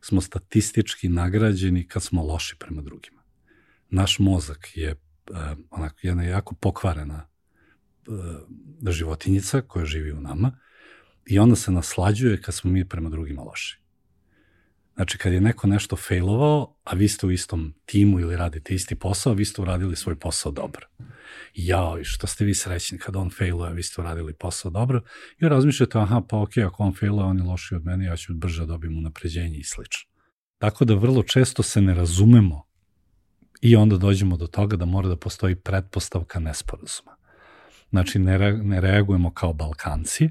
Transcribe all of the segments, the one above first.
smo statistički nagrađeni kad smo loši prema drugima. Naš mozak je jedna jako pokvarena životinjica koja živi u nama i onda se naslađuje kad smo mi prema drugima loši. Znači, kad je neko nešto failovao, a vi ste u istom timu ili radite isti posao, vi ste uradili svoj posao dobro. Jao, što ste vi srećni kad on failuje, vi ste uradili posao dobro. I razmišljate, pa okej, ako on failuje, on je lošiji od mene, ja ću brže dobijem unapređenje i slično. Tako da vrlo često se ne razumemo i onda dođemo do toga da mora da postoji pretpostavka nesporazuma. Znači, ne reagujemo kao Balkanci,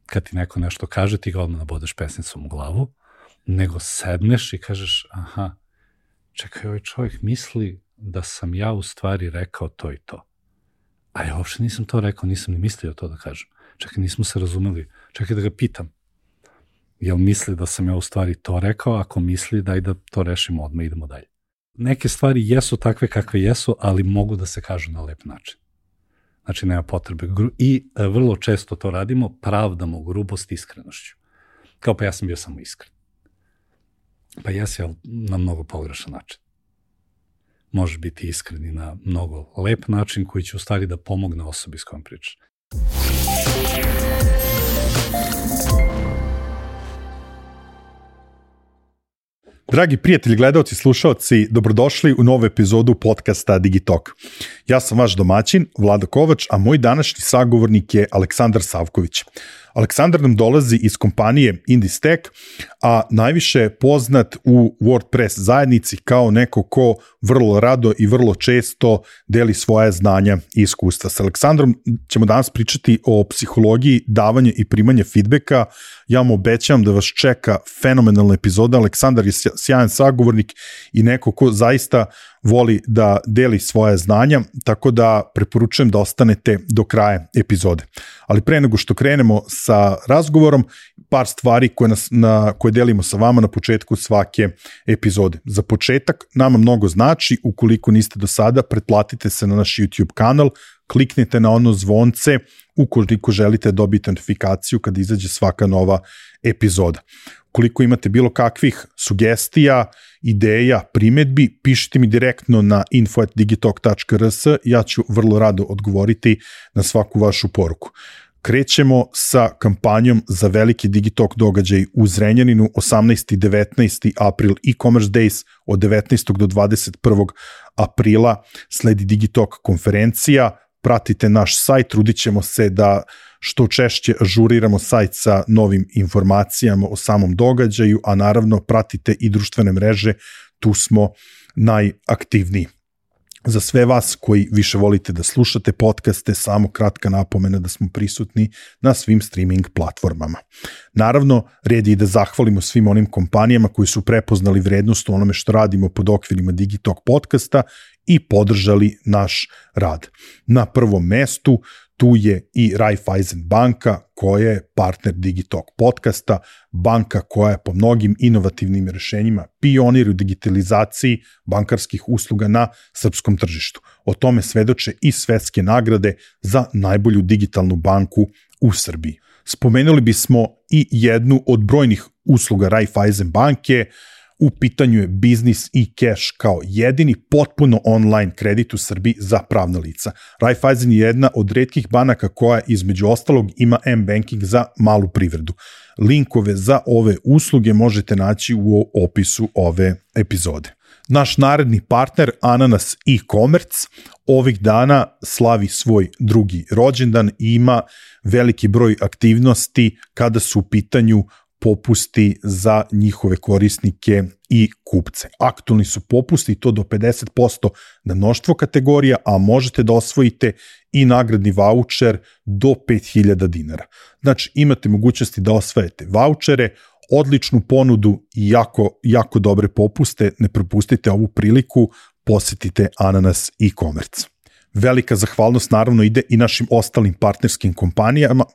kad ti neko nešto kaže, ti ga odmah nabodeš pesnicom u glavu, nego sedneš i kažeš, čekaj, ovaj čovjek misli da sam ja u stvari rekao to i to. A ja uopšte nisam to rekao, nisam ni mislio to da kažem. Čekaj, nismo se razumeli. Čekaj da ga pitam. Jel misli da sam ja u stvari to rekao? Ako misli, daj da to rešimo odmah, idemo dalje. Neke stvari jesu takve kakve jesu, ali mogu da se kažu na lep način. Znači, nema potrebe. I vrlo često to radimo, pravdamo grubost iskrenošću. Kao pa ja sam bio samo iskren. Pa jesi, ali na mnogo pogrešan način. Možeš biti iskreni na mnogo lep način koji će u stvari da pomogne osobi s kojom pričaš. Dragi prijatelji, gledaoci, slušaoci, dobrodošli u novu epizodu podcasta Digitalk. Ja sam vaš domaćin, Vlado Kovač, a moj današnji sagovornik je Aleksandar Savković. Aleksandar nam dolazi iz kompanije Indistack, a najviše je poznat u WordPress zajednici kao neko ko vrlo rado i vrlo često deli svoje znanja i iskustva. S Aleksandrom ćemo danas pričati o psihologiji davanja i primanja feedbacka. Ja vam obećavam da vas čeka fenomenalna epizoda. Aleksandar je sjajan sagovornik i neko ko zaista voli da deli svoje znanja, tako da preporučujem da ostanete do kraja epizode. Ali pre nego što krenemo sa razgovorom, par stvari koje delimo sa vama na početku svake epizode. Za početak, nama mnogo znači, ukoliko niste do sada, pretplatite se na naš YouTube kanal, kliknite na ono zvonce ukoliko želite dobiti notifikaciju kada izađe svaka nova epizoda. Ukoliko imate bilo kakvih sugestija, ideja, primedbi, pišite mi direktno na info@digitalk.rs, ja ću vrlo rado odgovoriti na svaku vašu poruku. Krećemo sa kampanjom za veliki Digitalk događaj u Zrenjaninu, 18. i 19. april e-commerce days, od 19. do 21. aprila sledi Digitalk konferencija. Pratite naš sajt, trudit ćemo se da što češće ažuriramo sajt sa novim informacijama o samom događaju, a naravno pratite i društvene mreže, tu smo najaktivniji. Za sve vas koji više volite da slušate podcaste, samo kratka napomena da smo prisutni na svim streaming platformama. Naravno, red je i da zahvalimo svim onim kompanijama koji su prepoznali vrednost u onome što radimo pod okvirima Digitalk podcasta i podržali naš rad. Na prvom mestu tu je i Raiffeisen banka koja je partner Digitalk podcasta, banka koja je po mnogim inovativnim rešenjima pionir u digitalizaciji bankarskih usluga na srpskom tržištu. O tome svedoče i svetske nagrade za najbolju digitalnu banku u Srbiji. Spomenuli bismo i jednu od brojnih usluga Raiffeisen banke. U pitanju je biznis i cash kao jedini potpuno online kredit u Srbiji za pravna lica. Raiffeisen je jedna od retkih banaka koja između ostalog ima m-banking za malu privredu. Linkove za ove usluge možete naći u opisu ove epizode. Naš naredni partner Ananas e-commerce ovih dana slavi svoj drugi rođendan i ima veliki broj aktivnosti kada su u pitanju popusti za njihove korisnike i kupce. Aktualni su popusti, to do 50% na mnoštvo kategorija, a možete da osvojite i nagradni vaučer do 5000 dinara. Znači, imate mogućnosti da osvajate vaučere, odličnu ponudu i jako dobre popuste. Ne propustite ovu priliku, posetite Ananas e-commerce. Velika zahvalnost naravno ide i našim ostalim partnerskim kompanijama,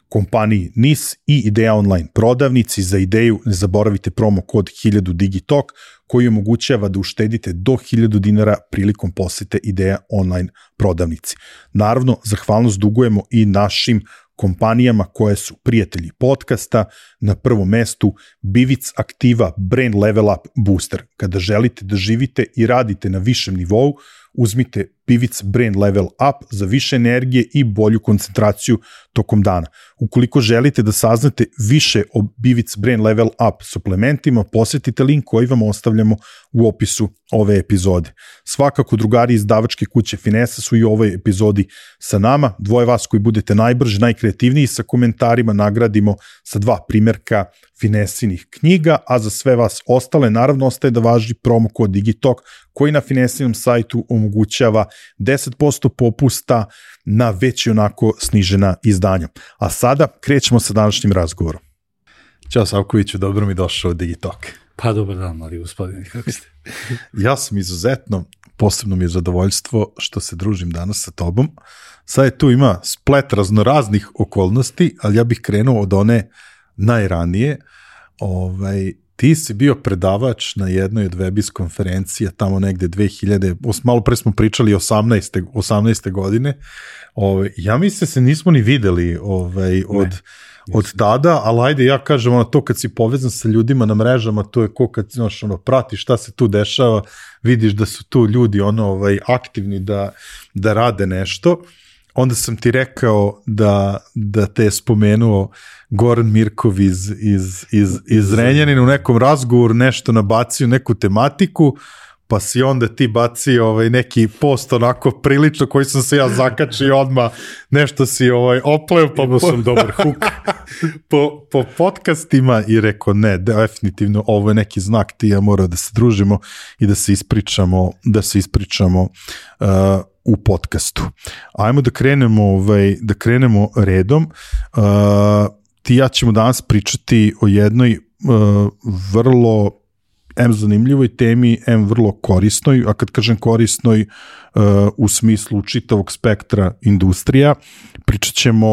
kompaniji NIS i Ideja online prodavnici. Za Ideju ne zaboravite promo kod 1000 Digitalk koji omogućava da uštedite do 1000 dinara prilikom posete Ideja online prodavnici. Naravno, zahvalnost dugujemo i našim kompanijama koje su prijatelji podcasta. Na prvom mestu Bivic Aktiva Brain Level Up Booster. Kada želite da živite i radite na višem nivou, uzmite Bivic Brain Level Up za više energije i bolju koncentraciju tokom dana. Ukoliko želite da saznate više o Bivic Brain Level Up suplementima, posjetite link koji vam ostavljamo u opisu ove epizode. Svakako drugari iz izdavačke kuće Finesa su i u ovoj epizodi sa nama. Dvoje vas koji budete najbrži, najkreativniji sa komentarima nagradimo sa 2 primjerka Finesinih knjiga, a za sve vas ostale naravno ostaje da važi promo kod Digitalk koji na Finesinom sajtu omogućava 10% popusta na već i onako snižena izdanja. A sada krećemo sa današnjim razgovorom. Ćao Savkoviću, dobro mi došao u Digitalk. Pa dobar dan, mali gospodine, kako ste? Ja sam izuzetno, posebno mi je zadovoljstvo što se družim danas sa tobom. Sad je tu ima splet raznoraznih okolnosti, ali ja bih krenuo od one najranije. Ti si bio predavač na jednoj od Webis konferencija tamo negde malo pre smo pričali 18. godine. Ja mislim se nismo ni videli od tada, ali ajde ja kažem to kad si povezan sa ljudima na mrežama, to je ko kad pratiš šta se tu dešava, vidiš da su tu ljudi aktivni da rade nešto. Onda sam ti rekao da te je spomenuo Goran Mirkov iz Renjanina u nekom razgovoru, nešto nabacio, neku tematiku, pa si onda ti bacio neki post onako prilično koji sam se ja zakačio odmah, nešto si opleo, pa imao sam dobar huk po podcastima i rekao ne, definitivno ovo je neki znak, ti ja moramo da se družimo i da se ispričamo u podcastu. Ajmo da krenemo redom. Ti ja ćemo danas pričati o jednoj vrlo zanimljivoj temi, vrlo korisnoj, a kad kažem korisnoj u smislu čitavog spektra industrija, pričat ćemo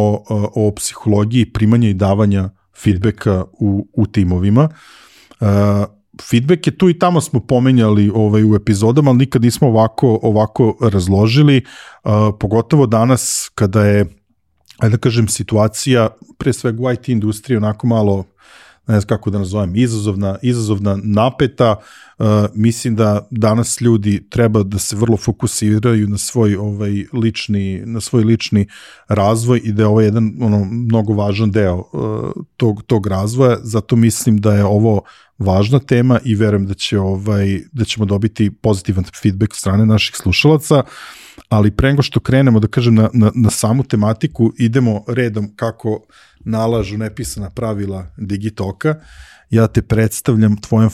o psihologiji primanja i davanja feedbacka u timovima. Feedback je tu i tamo smo pomenjali u epizodama, ali nikad nismo ovako razložili, pogotovo danas kada je, da kažem, situacija, pre svega u IT industriji, onako malo, ne znam kako da nazovem, izazovna, napeta. Mislim da danas ljudi treba da se vrlo fokusiraju na svoj lični razvoj i da je ovo jedan mnogo važan deo tog razvoja, zato mislim da je ovo važna tema i verujem da ćemo dobiti pozitivan feedback od strane naših slušalaca, ali pre nego što krenemo, da kažem, na samu tematiku, idemo redom kako nalažu nepisana pravila Digitalka. Ja te predstavljam tvojom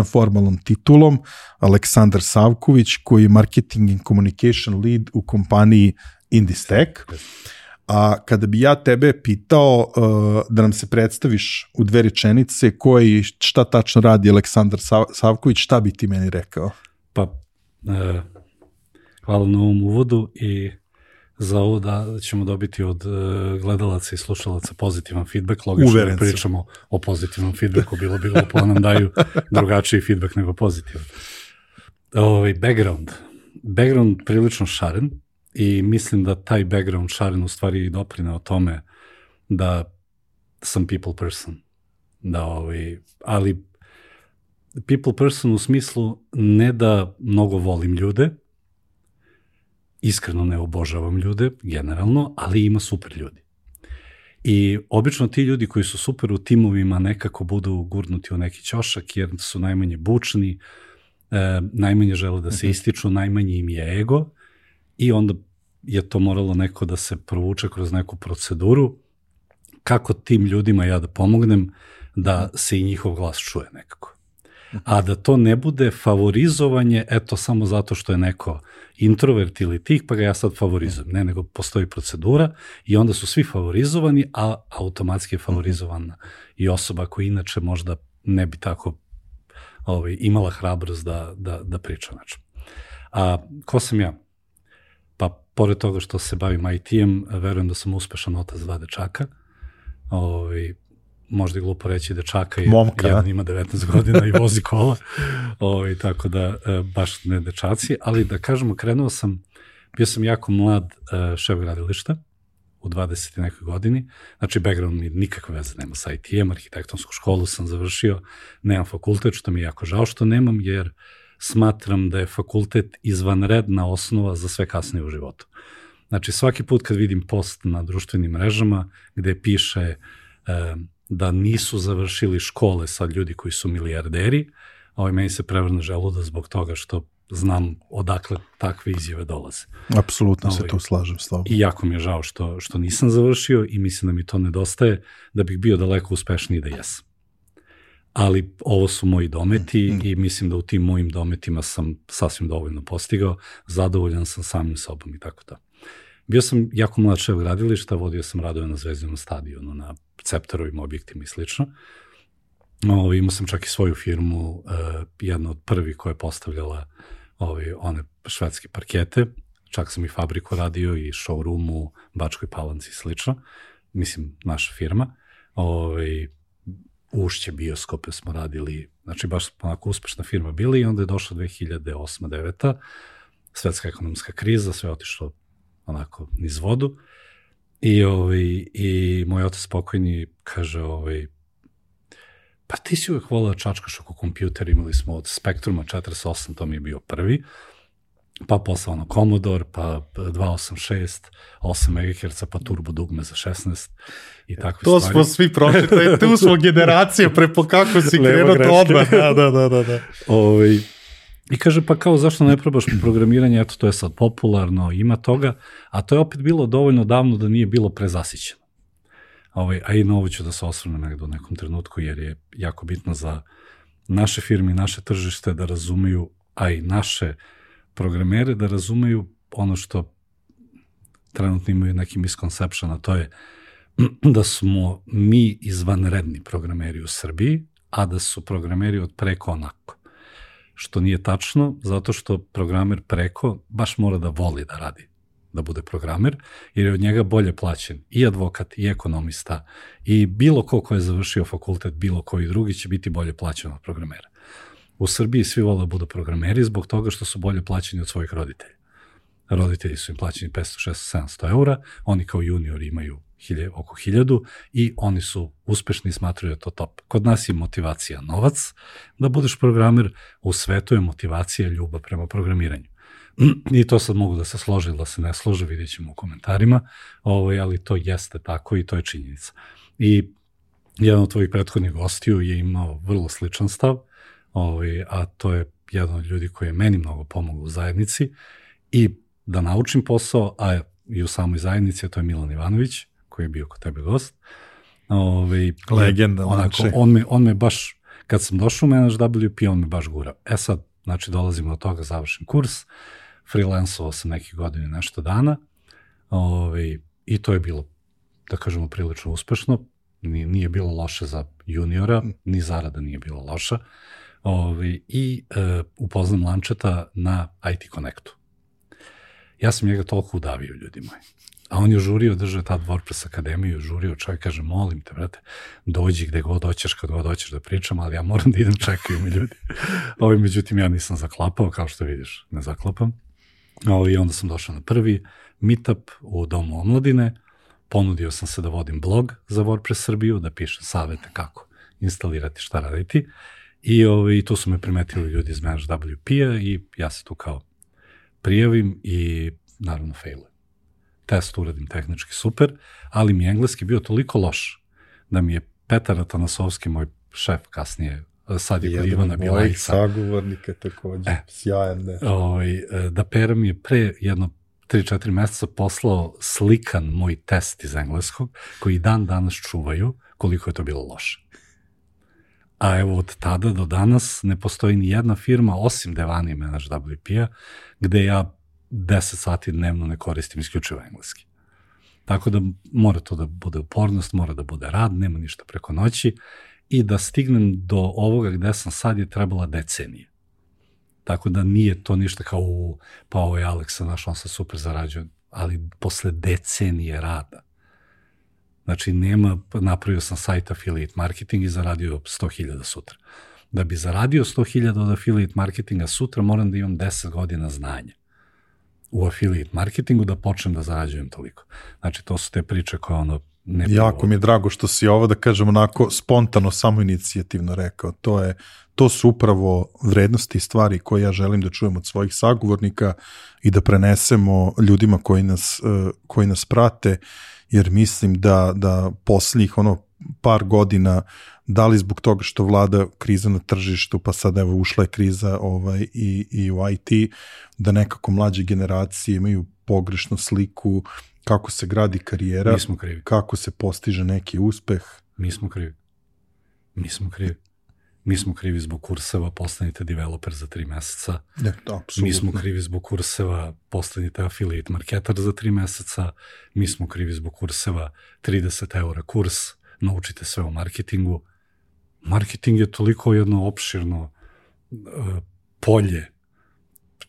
formalnom titulom, Aleksandar Savković, koji je Marketing and Communication Lead u kompaniji Indistek. A kada bi ja tebe pitao da nam se predstaviš u 2 rečenice šta tačno radi Aleksandar Savković, šta bi ti meni rekao? Pa, hvala na ovom uvodu i za ovo da ćemo dobiti od gledalaca i slušalaca pozitivan feedback. Logično da pričamo o pozitivnom feedbacku, bilo bi glupo da nam daju drugačiji feedback nego pozitivan. Background prilično šaren i mislim da taj background šaren u stvari doprineo tome da sam people person. Ali people person u smislu ne da mnogo volim ljude, iskreno ne obožavam ljude, generalno, ali ima super ljudi. I obično ti ljudi koji su super u timovima nekako budu gurnuti u neki ćošak jer su najmanje bučni, najmanje žele da se ističu, najmanje im je ego i onda je to moralo neko da se provuče kroz neku proceduru kako tim ljudima ja da pomognem da se i njihov glas čuje nekako. A da to ne bude favorizovanje, samo zato što je neko introvert ili tih, pa ga ja sad favorizujem. Ne, nego postoji procedura i onda su svi favorizovani, a automatski je favorizovana i osoba koja inače možda ne bi tako imala hrabrost da priča. A ko sam ja? Pa, pored toga što se bavim IT-em, verujem da sam uspešan otac 2 dečaka. Možda je glupo reći dečaka, jedan ima 19 godina i vozi kola, tako da baš ne dečaci, ali da kažemo, bio sam jako mlad šef gradilišta u 20. nekoj godini. Znači, background mi nikakve veze nema sa IT-em, arhitektonsku školu sam završio, nemam fakultet, što mi je jako žao što nemam, jer smatram da je fakultet izvanredna osnova za sve kasnije u životu. Znači, svaki put kad vidim post na društvenim mrežama gde piše da nisu završili škole sad ljudi koji su milijarderi, meni se prevrne želudac zbog toga što znam odakle takve izjave dolaze. Apsolutno se tu slažem s tobom. I jako mi je žao što nisam završio i mislim da mi to nedostaje, da bih bio daleko uspešniji da jesam. Ali ovo su moji dometi i mislim da u tim mojim dometima sam sasvim dovoljno postigao, zadovoljan sam samim sobom i tako to. Bio sam jako mlad šef gradilišta, vodio sam radove na Zvezdinom stadionu, na cepterovim objektima i slično. Imao sam čak i svoju firmu, jedna od prvih koja je postavljala one švedske parkete, čak sam i fabriku radio i showroom u Bačkoj Palanci i slično, mislim naša firma, Ušće bioskope smo radili, znači baš onako uspešna firma bili i onda je došla 2008-2009, svetska ekonomska kriza, sve je otišlo onako niz vodu i moj otac pokojni kaže pa ti si uvek volao da čačkaš oko kompjuter, imali smo od Spectruma 48, to mi je bio prvi, pa posle Commodore, pa 286, 8 MHz, pa turbo dugme za 16 i takve to stvari. To smo svi prošli, tu smo generacije, prepo kako si krenuo to odmah. Da. I kaže, pa kao zašto ne probaš programiranje, eto to je sad popularno, ima toga, a to je opet bilo dovoljno davno da nije bilo prezasićeno. A i na ovo ću da se osvrnem negdje u nekom trenutku, jer je jako bitno za naše firme i naše tržište da razumeju, a i naše programere da razumeju ono što trenutno imaju neki misconception, a to je da smo mi izvanredni programeri u Srbiji, a da su programeri od preko onako. Što nije tačno, zato što programer preko baš mora da voli da radi, da bude programer, jer je od njega bolje plaćen i advokat, i ekonomista, i bilo ko je završio fakultet, bilo koji drugi će biti bolje plaćen od programera. U Srbiji svi vole da budu programeri zbog toga što su bolje plaćeni od svojih roditelja. Roditelji su im plaćeni 500, 600, 700 eura, oni kao juniori imaju oko 1000 i oni su uspešni i smatruju to top. Kod nas je motivacija novac, da budeš programer, u svetu je motivacija ljubav prema programiranju. I to sad mogu da se složi ili da se ne složi, vidjet ćemo u komentarima, ali to jeste tako i to je činjenica. I jedan od tvojih prethodnih gostiju je imao vrlo sličan stav, a to je jedan od ljudi koji je meni mnogo pomogao u zajednici i da naučim posao, a i u samoj zajednici, a to je Milan Ivanović, koji je bio kod tebe gost. Legenda. On me baš, kad sam došao u Manage WP, on me baš gurao. Sad, znači, dolazimo do toga, završim kurs, freelancovao sam nekih godina i nešto dana, i to je bilo, da kažemo, prilično uspešno, nije bilo loše za juniora, ni zarada nije bila loša, i upoznam Lančeta na IT Connectu. Ja sam njega toliko udavio, ljudi moji. A on je žurio, držao tad WordPress akademiju, žurio, čovjek kaže, molim te, brate, dođi gde god hoćeš, kad god hoćeš da pričam, ali ja moram da idem, čekaju mi ljudi. Međutim, ja nisam zaklapao, kao što vidiš, ne zaklapam. I onda sam došao na prvi meetup u Domu omladine, ponudio sam se da vodim blog za WordPress Srbiju, da pišem savete kako instalirati, šta raditi. I tu su me primetili ljudi iz Manage WP-a i ja se tu kao prijavim i naravno failujem. Test uradim tehnički super, ali mi je engleski bio toliko loš da mi je Petar Atanasovski, moj šef kasnije, sad je kod Ivana Bilajca. Jedan mojih sagovornika također, sjajan. Da Pera mi je pre jedno 3-4 meseca poslao slikan moj test iz engleskog, koji dan danas čuvaju koliko je to bilo loše. A evo od tada do danas ne postoji ni jedna firma, osim Devani Manage WP-a, gde ja 10 sati dnevno ne koristim isključivo engleski. Tako da mora to da bude upornost, mora da bude rad, nema ništa preko noći i da stignem do ovoga gde sam sad je trebala decenije. Tako da nije to ništa kao pa ovo je Aleksa, naš, on se super zarađuje, ali posle decenije rada. Znači, napravio sam sajt affiliate marketing i zaradio 100.000 sutra. Da bi zaradio 100.000 od affiliate marketinga sutra, moram da imam 10 godina znanja. u affiliate marketingu da počnem da zarađujem toliko. Znači, to su te priče koje ono ne... Jako mi je drago što si ovo, da kažem, onako spontano, samoinicijativno rekao. To su upravo vrednosti i stvari koje ja želim da čujem od svojih sagovornika i da prenesemo ljudima koji nas prate, jer mislim da posljednjih par godina, da li zbog toga što vlada kriza na tržištu, pa sad evo ušla je kriza i u IT, da nekako mlađe generacije imaju pogrešnu sliku kako se gradi karijera, kako se postiže neki uspeh. Mi smo krivi zbog kurseva, postanite developer za 3 meseca. Mi smo krivi zbog kurseva, postanite affiliate marketer za 3 meseca. Mi smo krivi zbog kurseva, 30 € kurs, naučite sve o marketingu. Marketing je toliko jedno opširno polje.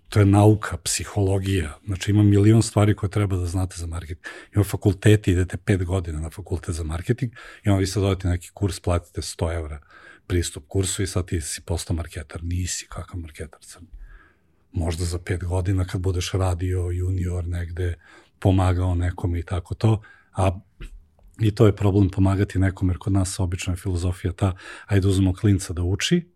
To je nauka, psihologija. Znači ima milion stvari koje treba da znate za marketing. Ima fakulteti, idete 5 godina na fakultet za marketing i onda vi sad dodate neki kurs, platite 100 € pristup kursu i sad ti si postao marketar. Nisi kakav marketar crni. Možda za 5 godina kad budeš radio junior negde, pomagao nekom i tako to, i to je problem pomagati nekom, jer kod nas obično je filozofija ta, ajde uzmemo klinca da uči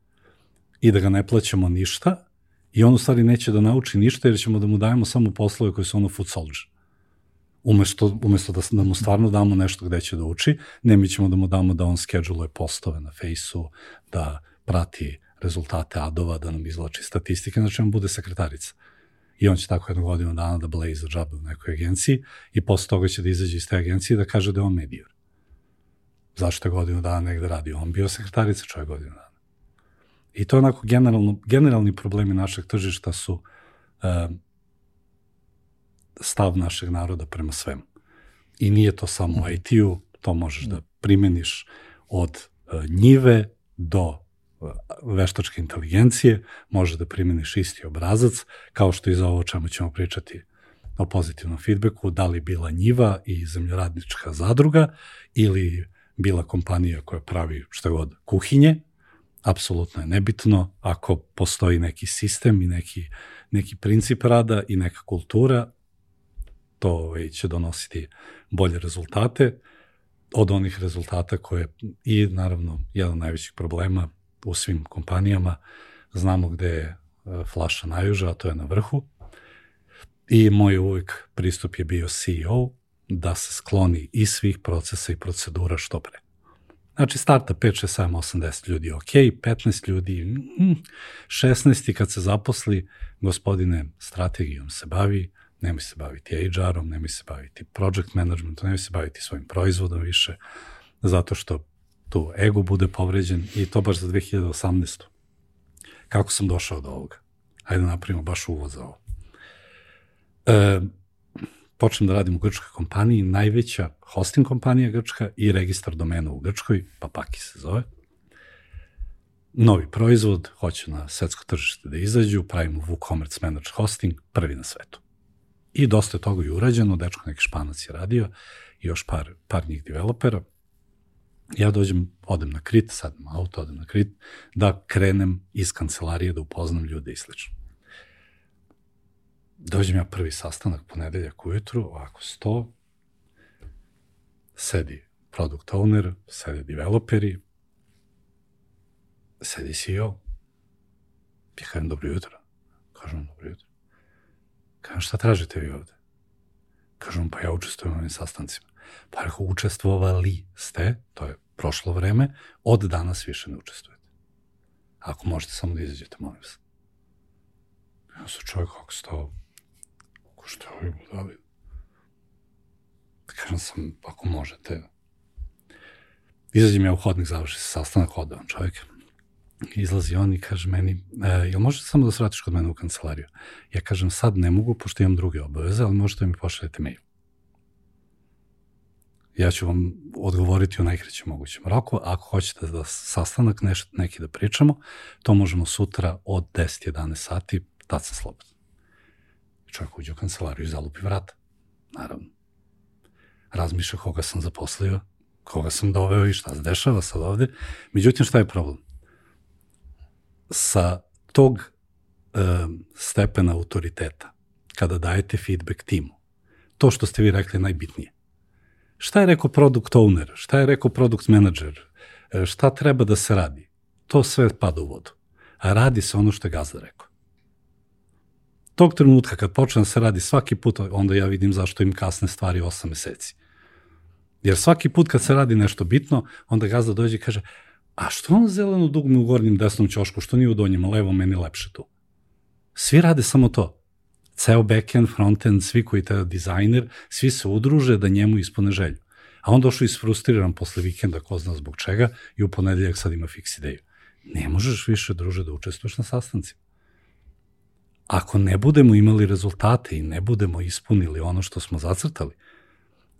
i da ga ne plaćamo ništa i on u stvari neće da nauči ništa jer ćemo da mu dajemo samo poslove koji su foot soldier. Umesto da mu stvarno damo nešto gde će da uči, ne, mi ćemo da mu damo da on scheduluje postove na Fejsu, da prati rezultate adova, da nam izvlači statistike, znači on bude sekretarica. I on će tako 1 godinu dana da bleji za džabe u nekoj agenciji i posle toga će da izađe iz te agencije i da kaže da je on medior. Zašto je 1 godinu dana negde radio? On bio sekretarica čovjek 1 godinu dana. I to je onako generalni problemi našeg tržišta su stav našeg naroda prema svemu. I nije to samo u IT-u, to možeš da primeniš od njive do veštačke inteligencije, možeš da primeniš isti obrazac, kao što i za ovo o čemu ćemo pričati o pozitivnom feedbacku, da li bila njiva i zemljoradnička zadruga ili bila kompanija koja pravi šta god kuhinje, apsolutno je nebitno ako postoji neki sistem i neki princip rada i neka kultura, to će donositi bolje rezultate od onih rezultata koje i naravno jedan od najvećih problema u svim kompanijama, znamo gde je flaša najuža, a to je na vrhu. I moj uvijek pristup je bio CEO da se skloni iz svih procesa i procedura što pre. Znači starta 5, 6, 7, 8, 10 ljudi, ok, 15 ljudi, 16 kad se zaposli, gospodine, strategijom se bavi, nemoj se baviti HR-om, nemoj se baviti project managementom, nemoj se baviti svojim proizvodom više, zato što tu ego bude povređen i to baš za 2018. Kako sam došao do ovoga? Hajde da napravimo baš uvod za ovo. Počnem da radim u grčkoj kompaniji, najveća hosting kompanija grčka i registar domena u Grčkoj, Papaki se zove. Novi proizvod, hoće na svetsko tržište da izađu, pravimo WooCommerce Managed Hosting, prvi na svetu. I dosta je toga i urađeno, dečko neki Španac je radio i još par njih developera. Ja odem na Krit, sad imam auto, odem na Krit, da krenem iz kancelarije, da upoznam ljude i slično. Dođem ja prvi sastanak, ponedeljak ujutru, ovako 100, sedi product owner, sedi developeri, sedi CEO. Ja kažem, dobro jutro. Kažem, dobro jutro. Kažem, šta tražite vi ovde? Kažem, pa ja učestvujem u ovim sastancima. Pa ako učestvovali ste, to je prošlo vreme, od danas više ne učestvujete. Ako možete samo da izađete, molim vas. Ja sam čovjek, kako stao, što je ovi budali? Kažem sam, ako možete. Izađem ja u hodnik, završi se sastanak, ode on čovjek. Izlazi on i kaže meni, jel možete samo da se vratiš kod mene u kancelariju? Ja kažem, sad ne mogu, pošto imam druge obaveze, ali možete mi pošaljete mail. Ja ću vam odgovoriti u najkraćem mogućem roku. Ako hoćete da sastanak neki da pričamo, to možemo sutra od 10-11 sati, tad sam slobodan. Čovjek uđe u kancelariju i zalupi vrata. Naravno. Razmišlja koga sam zaposlio, koga sam doveo i šta se dešava sad ovde. Međutim, šta je problem? Sa tog stepena autoriteta, kada dajete feedback timu. To što ste vi rekli najbitnije. Šta je rekao product owner, šta je rekao product manager, šta treba da se radi? To sve pada u vodu. A radi se ono što je gazda rekao. Tog trenutka kad počne da se radi svaki put, onda ja vidim zašto im kasne stvari 8 meseci. Jer svaki put kad se radi nešto bitno, onda gazda dođe i kaže, a što on zeleno dugme u gornjem desnom ćošku, što nije u donjem levom, meni lepše tu. Svi rade samo to. Ceo backend, frontend, svi koji te dizajner, svi se udruže da njemu ispune želju. A on došao isfrustriran posle vikenda, ko zna zbog čega, i u ponedeljak sad ima fiks ideju. Ne možeš više, druže, da učestvuješ na sastancima. Ako ne budemo imali rezultate i ne budemo ispunili ono što smo zacrtali,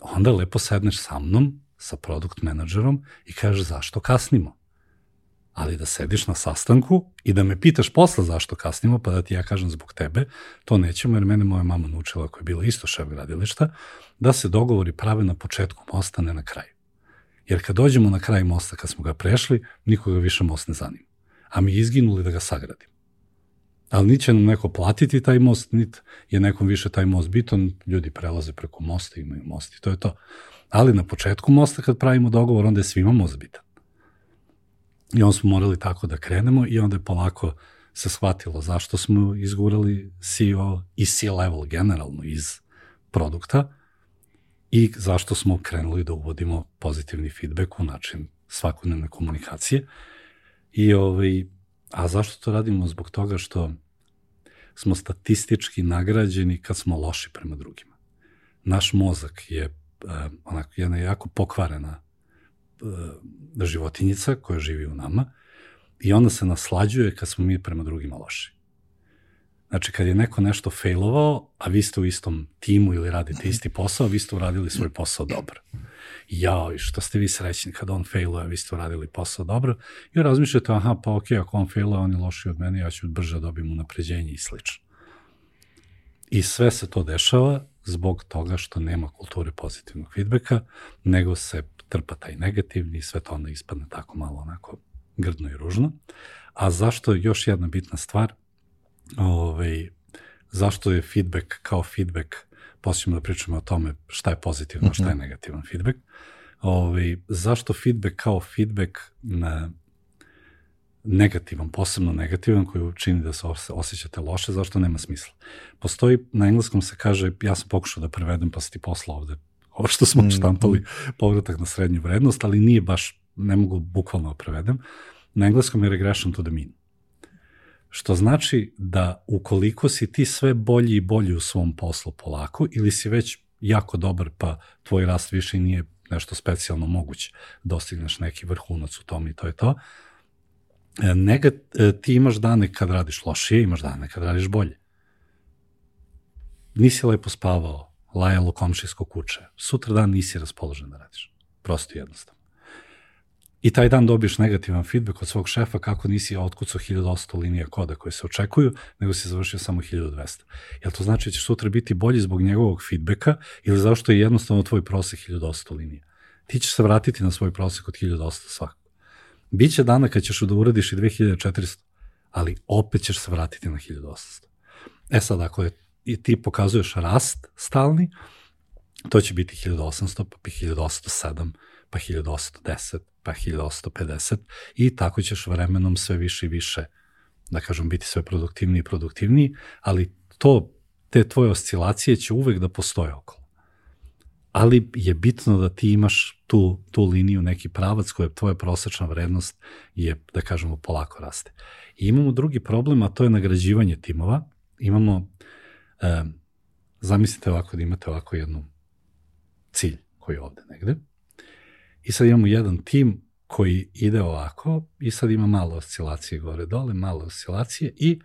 onda lepo sedneš sa mnom, sa product menadžerom i kažeš zašto kasnimo. Ali da sediš na sastanku i da me pitaš posle zašto kasnimo, pa da ti ja kažem zbog tebe, to nećemo, jer mene moja mama naučila, koja je bila isto šef gradilišta, da se dogovori prave na početku mosta, ne na kraju. Jer kad dođemo na kraj mosta, kad smo ga prešli, nikoga više most ne zanima. A mi izginuli da ga sagradimo. Ali niti će nam neko platiti taj most, niti je nekom više taj most bitan, ljudi prelaze preko mosta, imaju most i to je to. Ali na početku mosta kad pravimo dogovor, onda je svima most bitan. I onda smo morali tako da krenemo i onda je polako se shvatilo zašto smo izgurali CEO i C-level generalno iz produkta i zašto smo krenuli da uvodimo pozitivni feedback u način svakodnevne komunikacije. A zašto to radimo? Zbog toga što smo statistički nagrađeni kad smo loši prema drugima. Naš mozak je jedna jako pokvarena životinjica koja živi u nama i onda se naslađuje kad smo mi prema drugima loši. Znači, kad je neko nešto failovao, a vi ste u istom timu ili radite isti posao, vi ste uradili svoj posao dobro. Jao, što ste vi srećni kad on failuje, a vi ste uradili posao dobro. I razmišljate, pa okej, ako on failuje, on je lošiji od mene, ja ću brže dobijem unapređenje i slično. I sve se to dešava zbog toga što nema kulture pozitivnog feedbacka, nego se trpa taj negativni i sve to onda ispadne tako malo onako grdno i ružno. A zašto još jedna bitna stvar, zašto je feedback kao feedback, posljedno da pričamo o tome šta je pozitivno, šta je negativan feedback, zašto feedback kao feedback negativan, posebno negativan, koji čini da se osjećate loše, zašto nema smisla. Postoji, na engleskom se kaže, ja sam pokušao da prevedem, pa se ti poslao ovde, ovo što smo štampali, povratak na srednju vrednost, ali nije baš, ne mogu bukvalno da prevedem. Na engleskom je regression to the mean. Što znači da ukoliko si ti sve bolji i bolji u svom poslu polako, ili si već jako dobar, pa tvoj rast više i nije nešto specijalno moguće, dostigneš neki vrhunac u tom i to je to, ti imaš dane kad radiš lošije, imaš dane kad radiš bolje. Nisi lepo spavao, lajalo komšijsko kuće, sutra dan nisi raspoložen da radiš. Prosto i jednostavno. I taj dan dobiješ negativan feedback od svog šefa kako nisi otkucao 1100 linija koda koje se očekuju, nego si završio samo 1200. Jel to znači da ćeš sutra biti bolji zbog njegovog feedbacka ili zašto je jednostavno tvoj prosek 1200 linija? Ti ćeš se vratiti na svoj prosek od 1200 svakako. Biće dana kad ćeš da uradiš i 2400, ali opet ćeš se vratiti na 1800. Sad, ako ti pokazuješ rast stalni, to će biti 1800, pa 1807, pa 1810, pa 1850 i tako ćeš vremenom sve više i više, da kažem, biti sve produktivniji i produktivniji, ali te tvoje oscilacije će uvek da postoje okolo. Ali je bitno da ti imaš tu liniju, neki pravac koja je tvoja prosečna vrednost je, da kažemo, polako raste. I imamo drugi problem, a to je nagrađivanje timova. Imamo, zamislite ovako da imate ovako jednu cilj koji je ovde negde. I sad imamo jedan tim koji ide ovako i sad ima malo oscilacije gore dole, malo oscilacije i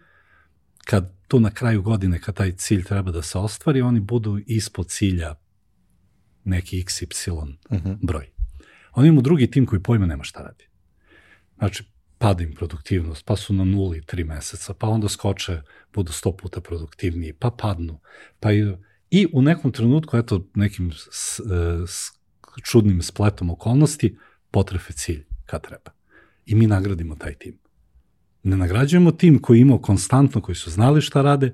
kad tu na kraju godine, kad taj cilj treba da se ostvari, oni budu ispod cilja neki XY broj. Oni imamo drugi tim koji pojma nema šta radi. Znači, pada im produktivnost, pa su na 0 3 meseca, pa onda skoče, budu 100 puta produktivniji, pa padnu. I u nekom trenutku, eto, nekim čudnim spletom okolnosti, potrefe cilj kad treba. I mi nagradimo taj tim. Ne nagrađujemo tim koji je imao konstantno, koji su znali šta rade,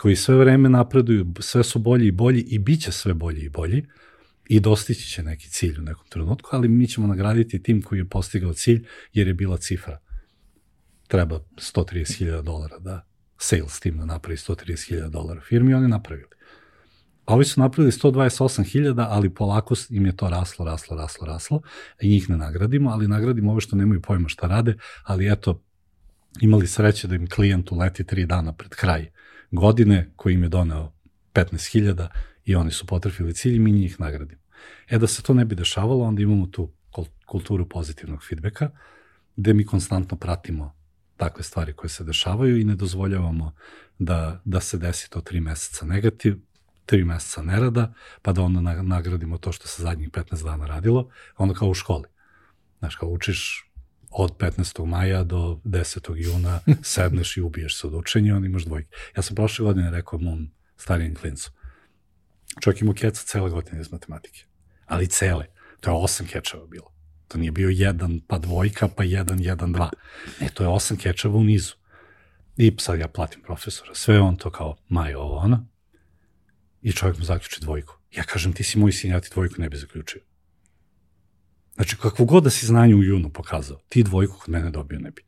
koji sve vreme napreduju, sve su bolji i bolji i bit će sve bolji i bolji i dostići će neki cilj u nekom trenutku, ali mi ćemo nagraditi tim koji je postigao cilj jer je bila cifra. Treba $130,000 da sales team da napravi $130,000 firmi i oni napravili. A ovi su napravili 128.000, ali polako im je to raslo i njih ne nagradimo, ali nagradimo ove što nemaju pojma šta rade, ali eto, imali sreće da im klijent uleti 3 dana pred kraj godine koji im je doneo 15.000 i oni su potrefili cilj i mi njih nagradimo. Da se to ne bi dešavalo, onda imamo tu kulturu pozitivnog feedbacka, gde mi konstantno pratimo takve stvari koje se dešavaju i ne dozvoljavamo da se desi to 3 meseca negativ, 3 meseca nerada, pa da onda nagradimo to što se zadnjih 15 dana radilo, onda kao u školi. Znaš, kao učiš od 15. maja do 10. juna, sedneš i ubiješ se od učenja, onda imaš dvojke. Ja sam prošle godine rekao mom starijem klincu, čovjek imao keca cele godine iz matematike, ali cele, to je 8 kečeva bilo. To nije bio 1, pa dvojka, pa 1, 1, 2. Ne, to je 8 kečeva u nizu. I sad ja platim profesora, sve on to kao Majo, ovo, ono. I čovjek mu zaključi dvojku. Ja kažem, ti si moj sin, ja ti dvojku ne bi zaključio. Znači, kakvo god da si znanje u junu pokazao, ti dvojku kod mene dobio ne bi.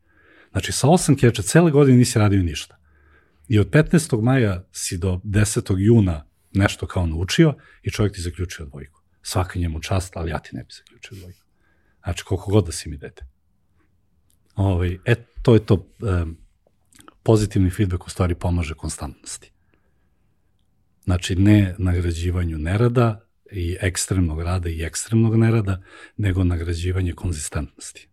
Znači, sa 8 keča cele godine nisi radio ništa. I od 15. maja si do 10. juna nešto kao naučio i čovjek ti zaključio dvojku. Svaka njemu čast, ali ja ti ne bi zaključio dvojku. Znači, koliko god da si mi dete. To je to. Pozitivni feedback u stvari pomaže konstantnosti. Znači, ne nagrađivanju nerada i ekstremnog rada i ekstremnog nerada, nego nagrađivanje konzistentnosti.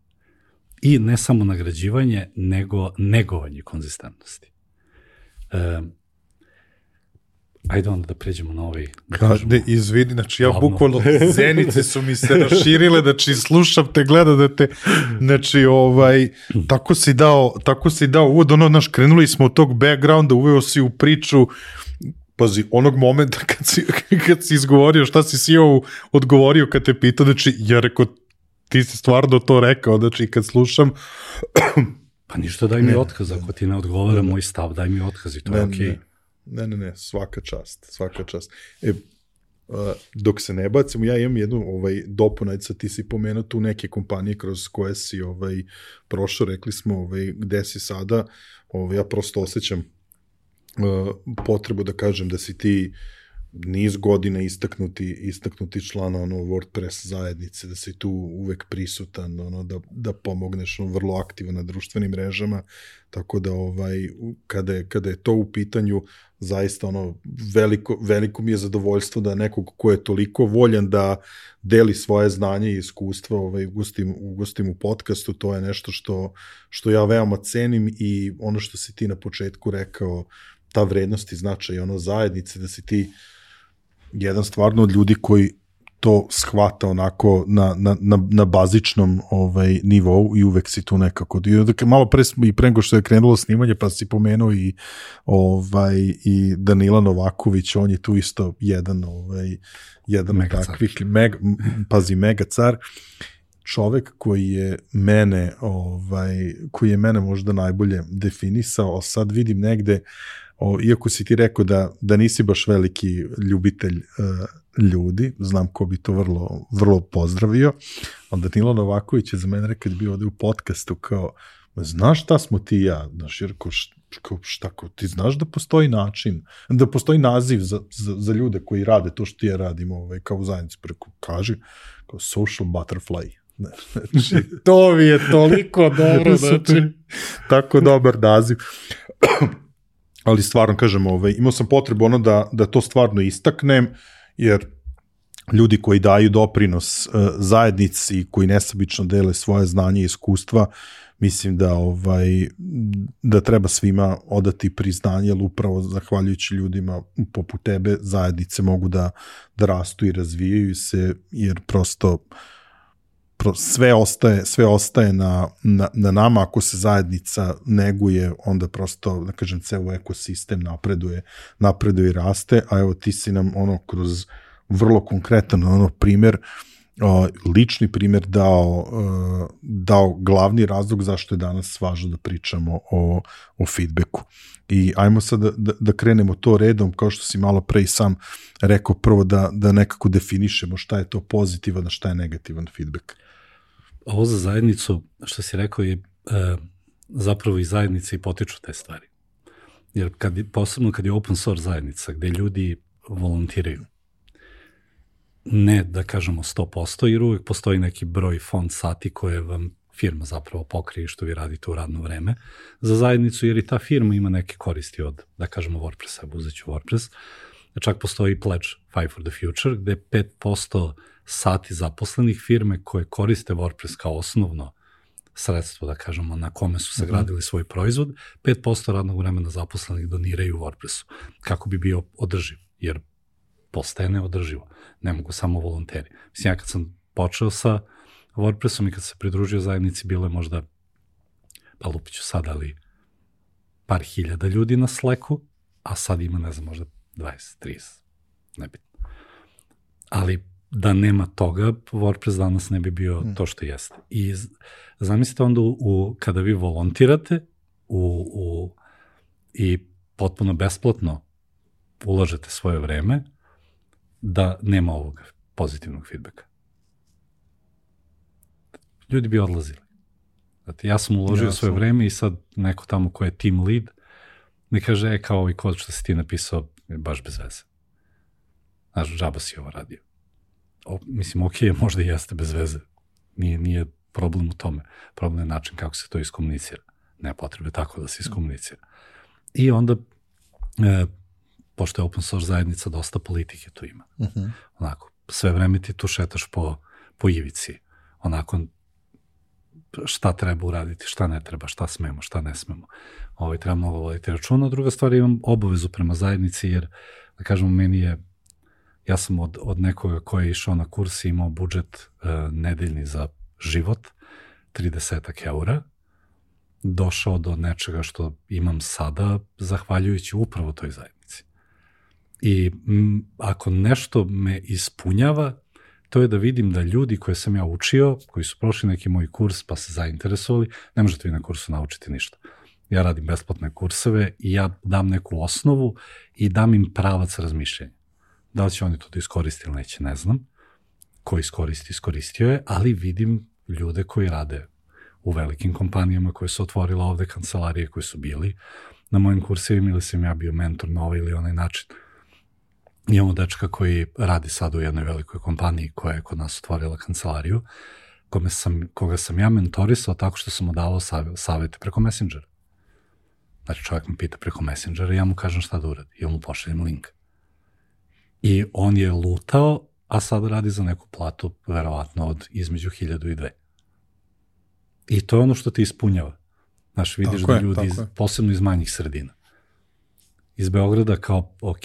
I ne samo nagrađivanje, nego negovanje konzistentnosti. Ajde onda da pređemo na ovaj... Izvini, znači ja bukvalno zenice su mi se raširile, znači slušam te, gledam da te, znači tako si dao uvod, naš, krenuli smo od tog backgrounda, uveo si u priču, pazi, onog momenta kad si izgovorio šta si odgovorio kad te pitao, znači ja rekao, ti si stvarno to rekao, znači kad slušam... Pa ništa, daj mi otkaz, ako ti ne odgovara moj stav, daj mi otkaz i to je okej. Ne, svaka čast. Dok se ne bacimo, ja imam jednu dopunajca, ti si pomenuo tu neke kompanije kroz koje si prošao, rekli smo gde si sada, ja prosto osjećam potrebu da kažem da si ti niz godina istaknuti član WordPress zajednice, da si tu uvek prisutan, da pomogneš, vrlo aktivan na društvenim mrežama, tako da kada je to u pitanju, zaista veliko mi je zadovoljstvo da nekog ko je toliko voljan da deli svoje znanje i iskustva ugostim u podcastu, to je nešto što ja veoma cenim i ono što si ti na početku rekao, ta vrednost i značaj zajednice, da si ti jedan stvarno od ljudi koji to shvata onako na bazičnom nivou i uvek si tu nekako. Malo pre smo i pre nego što je krenulo snimanje, pa si pomenuo i Danila Novaković, on je tu isto jedan od takvih, mega car. Čovek koji je mene možda najbolje definisao, sad vidim negde, iako si ti rekao da nisi baš veliki ljubitelj ljudi, znam ko bi to vrlo, vrlo pozdravio, ali Danilo Novaković je za mene rekao da je bio ovde u podcastu kao, znaš šta smo ti i ja, znaš, jer ti znaš da postoji način, da postoji naziv za ljude koji rade to što ti ja radim kao u zajednici, preko kaže, kao social butterfly. Znači, to mi je toliko dobro, znači, tako dobar naziv. Ali stvarno, kažem, imao sam potrebu da to stvarno istaknem, jer ljudi koji daju doprinos zajednici, koji nesebično dele svoje znanje i iskustva, mislim da treba svima odati priznanje, jer upravo zahvaljujući ljudima poput tebe zajednice mogu da rastu i razvijaju se, jer prosto sve ostaje na nama, ako se zajednica neguje, onda prosto, da kažem, ceo ekosistem napreduje i raste, a evo ti si nam kroz vrlo konkretan primer lični primjer dao glavni razlog zašto je danas važno da pričamo o feedbacku. I ajmo sad da krenemo to redom, kao što si malo pre i sam rekao, prvo da nekako definišemo šta je to pozitivan, a šta je negativan feedback. Ovo za zajednicu, što si rekao, je zapravo i zajednice i potiču te stvari. Jer posebno kad je open source zajednica, gde ljudi volontiraju, ne da kažemo 100%, jer uvek postoji neki broj fond sati koje vam firma zapravo pokrije što vi radite u radno vreme za zajednicu, jer i ta firma ima neke koristi od, da kažemo, WordPressa, uzet ću WordPress. Čak postoji pledge Five for the Future, gde 5% sati zaposlenih firme koje koriste WordPress kao osnovno sredstvo, da kažemo, na kome su sagradili svoj proizvod, 5% radnog vremena zaposlenih doniraju WordPressu, kako bi bio održiv, jer postaje neodrživo. Ne mogu samo volonteri. Mislim, ja kad sam počeo sa WordPressom i kad se pridružio zajednici, bilo je možda, pa lupiću sad, ali par hiljada ljudi na Slacku, a sad ima, ne znam, možda 20, 30, nebitno. Ali da nema toga, WordPress danas ne bi bio to što jeste. I zamislite onda kada vi volontirate i potpuno besplatno ulažete svoje vreme, da nema ovog pozitivnog feedbacka. Ljudi bi odlazili. Znači, ja sam uložio svoje vreme i sad neko tamo ko je team lead mi kaže, kao ovaj kod što si ti napisao je baš bez veze. Znaš, džaba si ovo radio. Mislim, ok, možda i jeste bez veze. Nije problem u tome. Problem je način kako se to iskomunicira. Ne potrebe tako da se iskomunicira. I onda pošto je open source zajednica, dosta politike tu ima. Onako, sve vreme ti tu šetaš po ivici. Onako, šta treba uraditi, šta ne treba, šta smemo, šta ne smemo. Treba mnogo voditi računa. Druga stvar, imam obavezu prema zajednici, jer, da kažemo, ja sam od nekoga koji je išao na kurs i imao budžet nedeljni za život, 30 eura, došao do nečega što imam sada, zahvaljujući upravo toj zajednici. I ako nešto me ispunjava, to je da vidim da ljudi koje sam ja učio, koji su prošli neki moj kurs pa se zainteresovali, ne možete vi na kursu naučiti ništa. Ja radim besplatne kurseve i ja dam neku osnovu i dam im pravac razmišljenja. Da li će oni to da iskoriste ili neće, ne znam. Ko iskoristio je, ali vidim ljude koji rade u velikim kompanijama koje su otvorile ovde kancelarije, koji su bili na mojim kursevima ili sam ja bio mentor na ovaj ili onaj način. Imamo dečka koji radi sad u jednoj velikoj kompaniji koja je kod nas otvorila kancelariju, koga sam ja mentorisao tako što sam mu davao savete preko Messengera. Znači, čovjek me pita preko Messengera i ja mu kažem šta da uradi i on mu pošaljem link. I on je lutao, a sad radi za neku platu verovatno od između 1000 i 2. I to je ono što ti ispunjava. Znaš, vidiš da ljudi, posebno iz manjih sredina, iz Beograda kao, ok,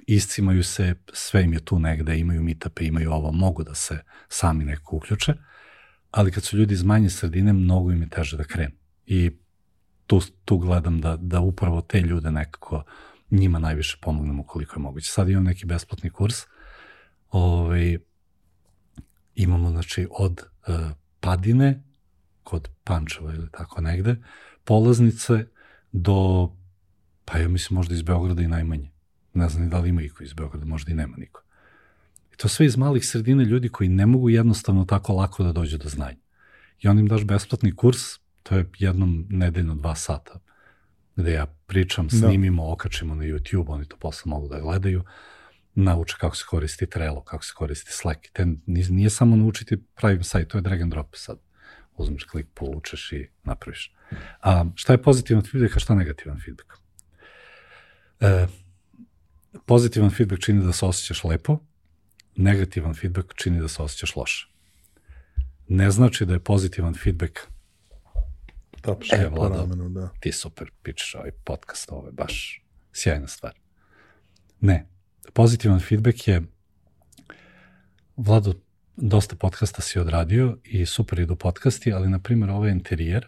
iscimaju se, sve im je tu negde, imaju meetupe, imaju ovo, mogu da se sami neko uključe, ali kad su ljudi iz manje sredine, mnogo im je teže da krenu. I tu gledam da upravo te ljude nekako njima najviše pomognemo koliko je moguće. Sad imam neki besplatni kurs. Imamo, znači, od Padine, kod Pančeva ili tako negde, polaznice do, pa ja mislim možda iz Beograda i najmanje. Ne znam ni da li ima iko iz Beograda, možda i nema niko. I to sve iz malih sredine ljudi koji ne mogu jednostavno tako lako da dođu do znanja. I on im daš besplatni kurs, to je jednom nedeljno 2 sata, gde ja pričam, snimimo, okačimo na YouTube, oni to posle mogu da gledaju, nauče kako se koristi Trello, kako se koristi Slack. Nije samo naučiti pravim sajt, to je drag and drop sad. Uzmeš klik, povučeš i napraviš. A šta je pozitivan feedback, a šta negativan feedback? Pozitivan feedback čini da se osjećaš lepo, negativan feedback čini da se osjećaš loše. Ne znači da je pozitivan feedback Vlado, ti super pičeš ovaj podcast, ovo je baš sjajna stvar. Ne, pozitivan feedback je, Vlado, dosta podcasta si odradio i super idu podcasti, ali na primjer ovaj interijer,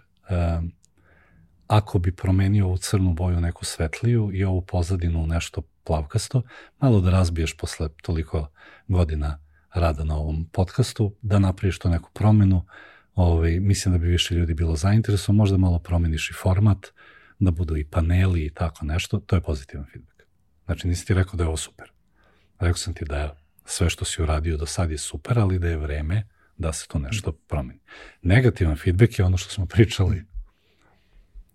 ako bi promenio ovu crnu boju neku svetliju i ovu pozadinu nešto plavkasto, malo da razbiješ posle toliko godina rada na ovom podcastu, da napraviš to neku promenu. Mislim da bi više ljudi bilo zainteresovano, možda malo promeniš i format, da budu i paneli i tako nešto, to je pozitivan feedback. Znači, nisi ti rekao da je ovo super. Rekao sam ti da je sve što si uradio do sad je super, ali da je vreme da se to nešto promeni. Negativan feedback je ono što smo pričali.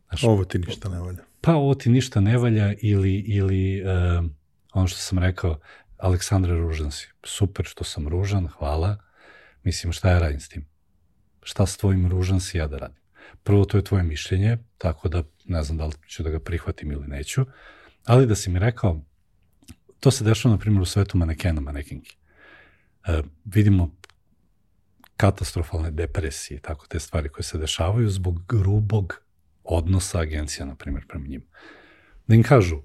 Znači, ovo ti ništa ne valja. Pa ovo ti ništa ne valja ili ono što sam rekao, Aleksandre, ružan si. Super što sam ružan, hvala. Mislim, šta ja radim s tim? Šta s tvojim ružan si ja da radim? Prvo, to je tvoje mišljenje, tako da ne znam da li ću da ga prihvatim ili neću, ali da si mi rekao, to se dešava, na primjer, u svetu manekena, manekinki. Vidimo katastrofalne depresije, tako te stvari koje se dešavaju zbog grubog odnosa agencija, na primjer, prema njima. Da im kažu,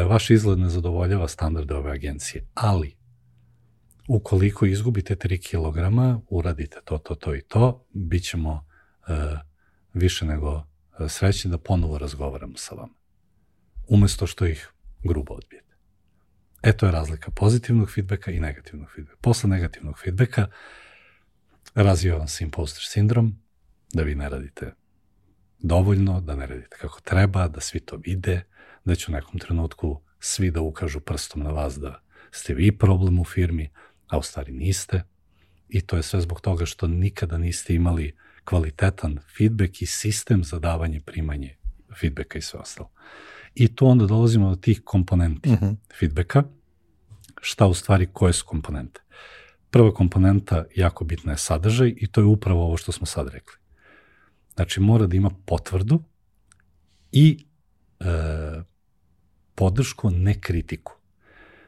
vaš izgled ne zadovoljava standarde ove agencije, ali ukoliko izgubite 3 kilograma, uradite to i to, bit ćemo više nego srećni da ponovo razgovaramo sa vama. Umesto što ih grubo odbijete. To je razlika pozitivnog feedbacka i negativnog feedbacka. Posle negativnog feedbacka razvija vam se imposter sindrom, da vi ne radite dovoljno, da ne radite kako treba, da svi to vide, da će u nekom trenutku svi da ukažu prstom na vas da ste vi problem u firmi, a u stvari niste. I to je sve zbog toga što nikada niste imali kvalitetan feedback i sistem za davanje, primanje feedbacka i sve ostalo. I tu onda dolazimo do tih komponenti feedbacka. Šta u stvari, koje su komponente? Prva komponenta, jako bitna, je sadržaj i to je upravo ovo što smo sad rekli. Znači, mora da ima potvrdu i podršku, ne kritiku.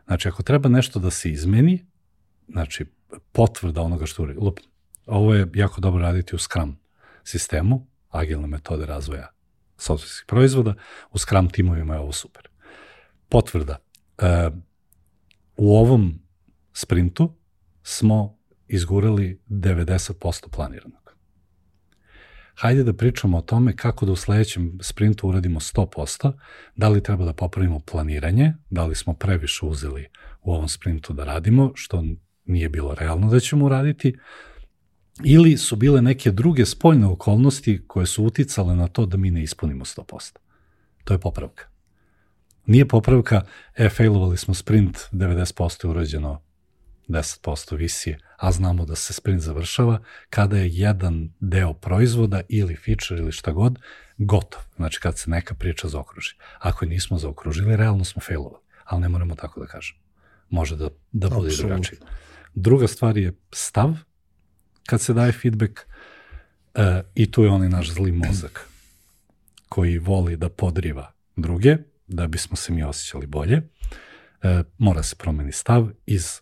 Znači, ako treba nešto da se izmeni, znači, potvrda onoga što uradi. Ovo je jako dobro raditi u Scrum sistemu, agilne metode razvoja softverskih proizvoda, u Scrum timovima je ovo super. Potvrda. U ovom sprintu smo izgurali 90% planiranog. Hajde da pričamo o tome kako da u sledećem sprintu uradimo 100%, da li treba da popravimo planiranje, da li smo previše uzeli u ovom sprintu da radimo, što nije bilo realno da ćemo uraditi, ili su bile neke druge spoljne okolnosti koje su uticale na to da mi ne ispunimo 100%. To je popravka. Nije popravka, failovali smo sprint, 90% je urađeno, 10% visi, a znamo da se sprint završava kada je jedan deo proizvoda ili feature ili šta god gotov. Znači kad se neka priča zaokruži. Ako je nismo zaokružili, realno smo failovali, ali ne moramo tako da kažemo. Može da bude drugačije. Druga stvar je stav kad se daje feedback i tu je onaj naš zli mozak koji voli da podriva druge, da bismo se mi osjećali bolje. Mora se promeni stav iz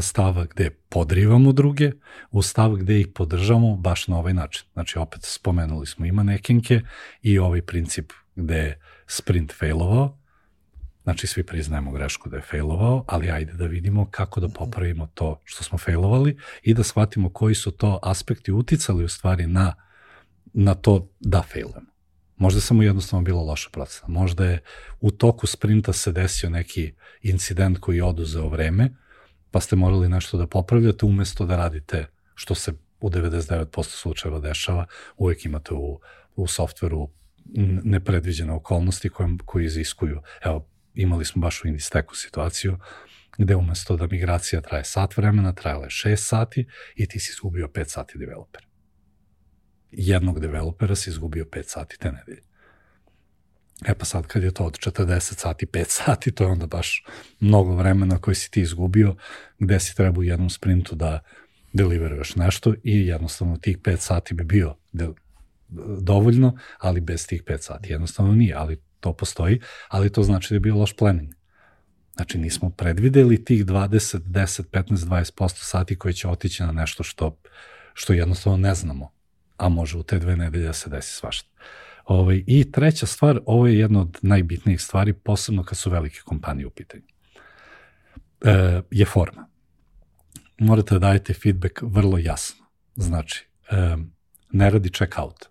stava gde podrivamo druge u stav gde ih podržamo baš na ovaj način. Znači, opet spomenuli smo i manekenke i ovaj princip gde je sprint failovao. Znači, svi priznajemo grešku da je failovao, ali ajde da vidimo kako da popravimo to što smo failovali i da shvatimo koji su to aspekti uticali u stvari na to da failujemo. Možda samo jednostavno bilo loša procena. Možda je u toku sprinta se desio neki incident koji je oduzeo vreme, pa ste morali nešto da popravljate umesto da radite što se u 99% slučajeva dešava. Uvek imate u softveru nepredviđene okolnosti koje iziskuju. Evo, imali smo baš u Indisteku situaciju gde umesto da migracija traje sat vremena, trajala je 6 sati i ti si izgubio 5 sati developera. Jednog developera si izgubio 5 sati te nedelje. Pa sad kad je to od 40 sati, 5 sati, to je onda baš mnogo vremena koje si ti izgubio, gde si treba u jednom sprintu da deliveruješ nešto i jednostavno tih 5 sati bi bio dovoljno, ali bez tih 5 sati. Jednostavno nije, ali to postoji, ali to znači da je bio loš planning. Znači nismo predvideli tih 20, 10, 15, 20% sati koji će otići na nešto što jednostavno ne znamo, a može u te 2 nedelje da se desi svašta. I treća stvar, ovo je jedna od najbitnijih stvari, posebno kad su velike kompanije u pitanju, je forma. Morate da dajete feedback vrlo jasno. Znači, ne radi check-out,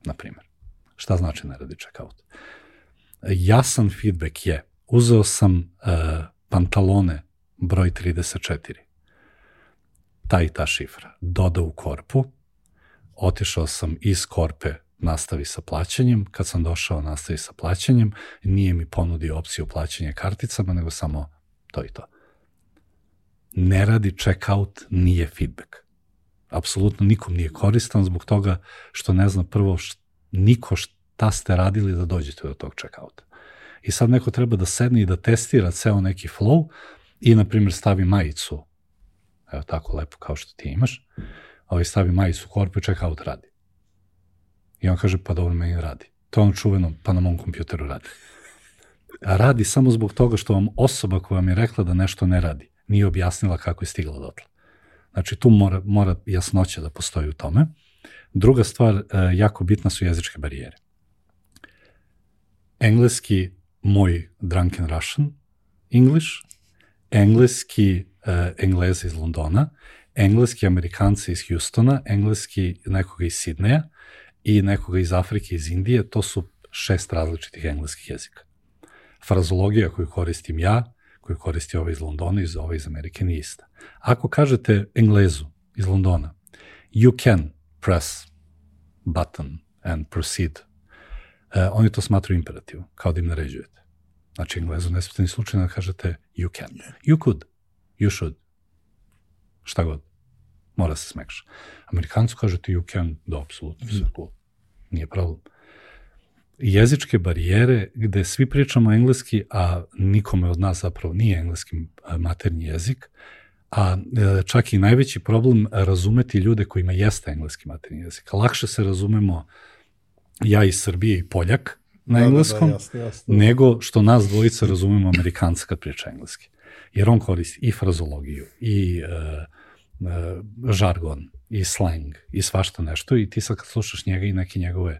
na primjer. Šta znači ne radi check-out? Jasan feedback je, uzeo sam pantalone broj 34. ta šifra. Doda u korpu, otišao sam iz korpe, nastavi sa plaćanjem, kad sam došao nastavi sa plaćanjem, nije mi ponudio opciju plaćanja karticama, nego samo to i to. Ne radi checkout, nije feedback. Apsolutno nikom nije koristan zbog toga što ne zna prvo niko šta ste radili da dođete do tog checkouta. I sad neko treba da sedne i da testira ceo neki flow i, na primjer, stavi majicu, evo tako lepo kao što ti imaš, stavi majicu u korpu i checkout radi. I on kaže, pa dobro, meni radi. To je ono čuveno, pa na mom kompjuteru radi. A radi samo zbog toga što vam osoba koja vam je rekla da nešto ne radi, nije objasnila kako je stigla dotle. Znači, tu mora jasnoća da postoji u tome. Druga stvar, jako bitna su jezičke barijere. Engleski, moj drunken Russian English, engleski Englezi iz Londona, engleski Amerikanci iz Houstona, engleski nekoga iz Sidneja i nekoga iz Afrike, iz Indije, to su 6 različitih engleskih jezika. Frazologija koju koristim ja, koju koristi ovaj iz Londona i ovaj iz Amerike, nije ista. Ako kažete Englezu iz Londona, you can press button and proceed, oni to smatruju imperativom, kao da im naređujete. Znači, Englezu ne smijete ni slučajno da kažete you can. You could, you should, šta god. Mora se smekša. Amerikancu kažete you can, da, apsolutno, sve cool. Nije problem. Jezičke barijere gde svi pričamo engleski, a nikome od nas zapravo nije engleski maternji jezik, a čak i najveći problem razumeti ljude kojima jeste engleski maternji jezik. Lakše se razumemo ja iz Srbije i Poljak na engleskom, jasno. Nego što nas dvojica razumemo Amerikanca kad priča engleski. Jer on koristi i frazologiju, i žargon, i slang, i svašta nešto, i ti sad kad slušaš njega i neke njegove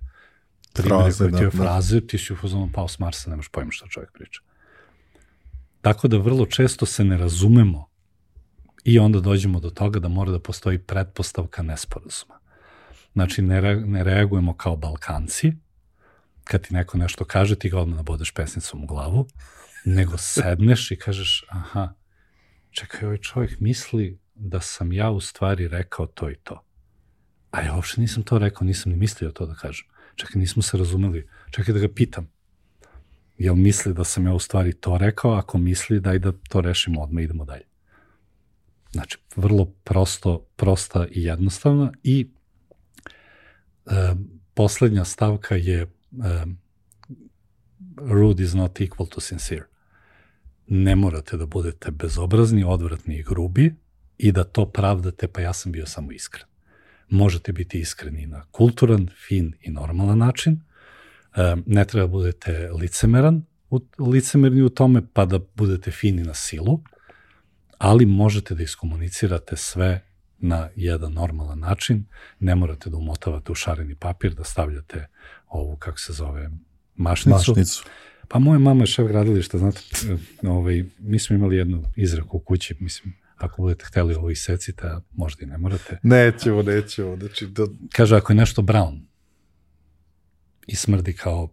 fraze, ti si u fazonu pao s Marsa, nemaš pojma što čovjek priča. Tako da vrlo često se ne razumemo i onda dođemo do toga da mora da postoji pretpostavka nesporazuma. Znači, ne reagujemo kao Balkanci, kad ti neko nešto kaže, ti ga odmah nabodeš pesnicom u glavu, nego sedneš i kažeš, aha, čekaj, ovaj čovjek misli da sam ja u stvari rekao to i to. A ja uopšte nisam to rekao, nisam ni mislio to da kažem. Čekaj, nismo se razumeli. Čekaj da ga pitam. Jel misli da sam ja u stvari to rekao? Ako misli, daj da to rešimo odmah, idemo dalje. Znači, vrlo prosta i jednostavna. I poslednja stavka je rude is not equal to sincere. Ne morate da budete bezobrazni, odvratni i grubi i da to pravdate, pa ja sam bio samo iskren. Možete biti iskreni na kulturan, fin i normalan način. Ne treba budete licemerni u tome, pa da budete fini na silu, ali možete da iskomunicirate sve na jedan normalan način. Ne morate da umotavate u šareni papir, da stavljate ovu, kako se zove, mašnicu. Pa moja mama je šef gradilišta, znate, mi smo imali jednu izreku u kući, mislim, ako budete hteli ovo isecite, a možda i ne morate. Nećemo. Znači, kaže, ako je nešto brown i smrdi kao,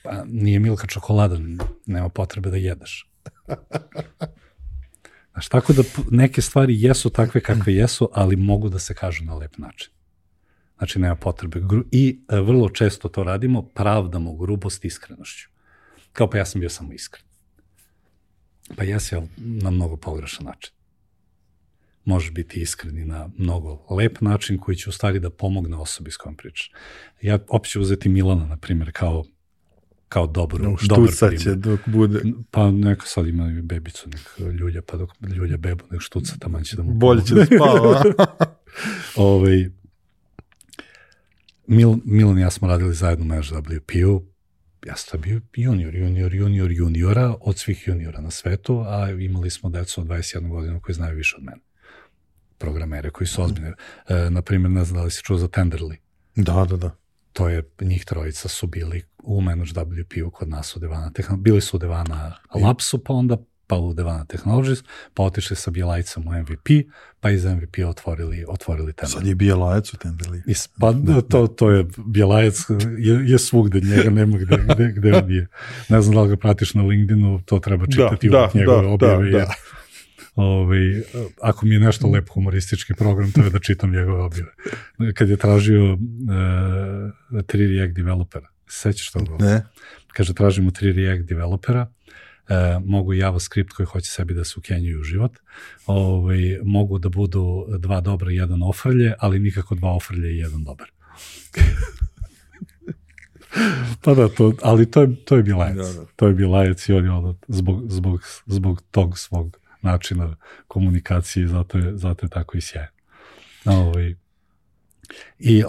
pa nije Milka čokolada, nema potrebe da jedeš. Znaš, tako da neke stvari jesu takve kakve jesu, ali mogu da se kažu na lep način. Znači, nema potrebe. I vrlo često to radimo, pravdamo grubost iskrenošću. Kao pa ja sam bio samo iskren. Pa jesi, ali na mnogo pogrešan način. Možeš biti iskreni na mnogo lep način koji će u stvari da pomogne osobi s kojom pričaš. Ja opet ću uzeti Milana, na primjer, kao dobar primjer. Štuca će dok bude. Pa neka sad ima bebicu, nek ljulja, pa dok ljulja bebu, nek štuca, taman će da mu bolje će da spava. Milan i ja smo radili zajedno na HWP-u. Ja sam bio juniora od svih juniora na svetu, a imali smo decu od 21 godinu koji znaju više od mene. Programere koji su ozbiljni. Naprimjer, ne znam da li si čuo za Tenderly. Da. To je, njih trojica su bili u Manage WP-u kod nas u Devana Technologies. Bili su u Devana Labsu, pa onda u Devana Technologies, pa otišli sa Bjelajcem u MVP, pa iz MVP otvorili Tenderly. Sad je Bjelajac u Tenderly. Pa to je, Bjelajac je svugde, njega nema gde on je. Ne znam da li ga pratiš na LinkedInu, to treba čitati u njegove objave. Ako mi je nešto lep humoristički program, to je da čitam njegove objave. Kad je tražio 3 React developera, sećaš što? Ne. Kaže, tražimo 3 React developera, mogu JavaScript koji hoće sebi da se ukenjuju u život, mogu da budu 2 dobra i 1 ofrlje, ali nikako 2 ofrlje i 1 dobar. Pa da, ali to je bilajac. To je bilajac i on je zbog tog svog načina komunikacije, zato je tako i sjajan. I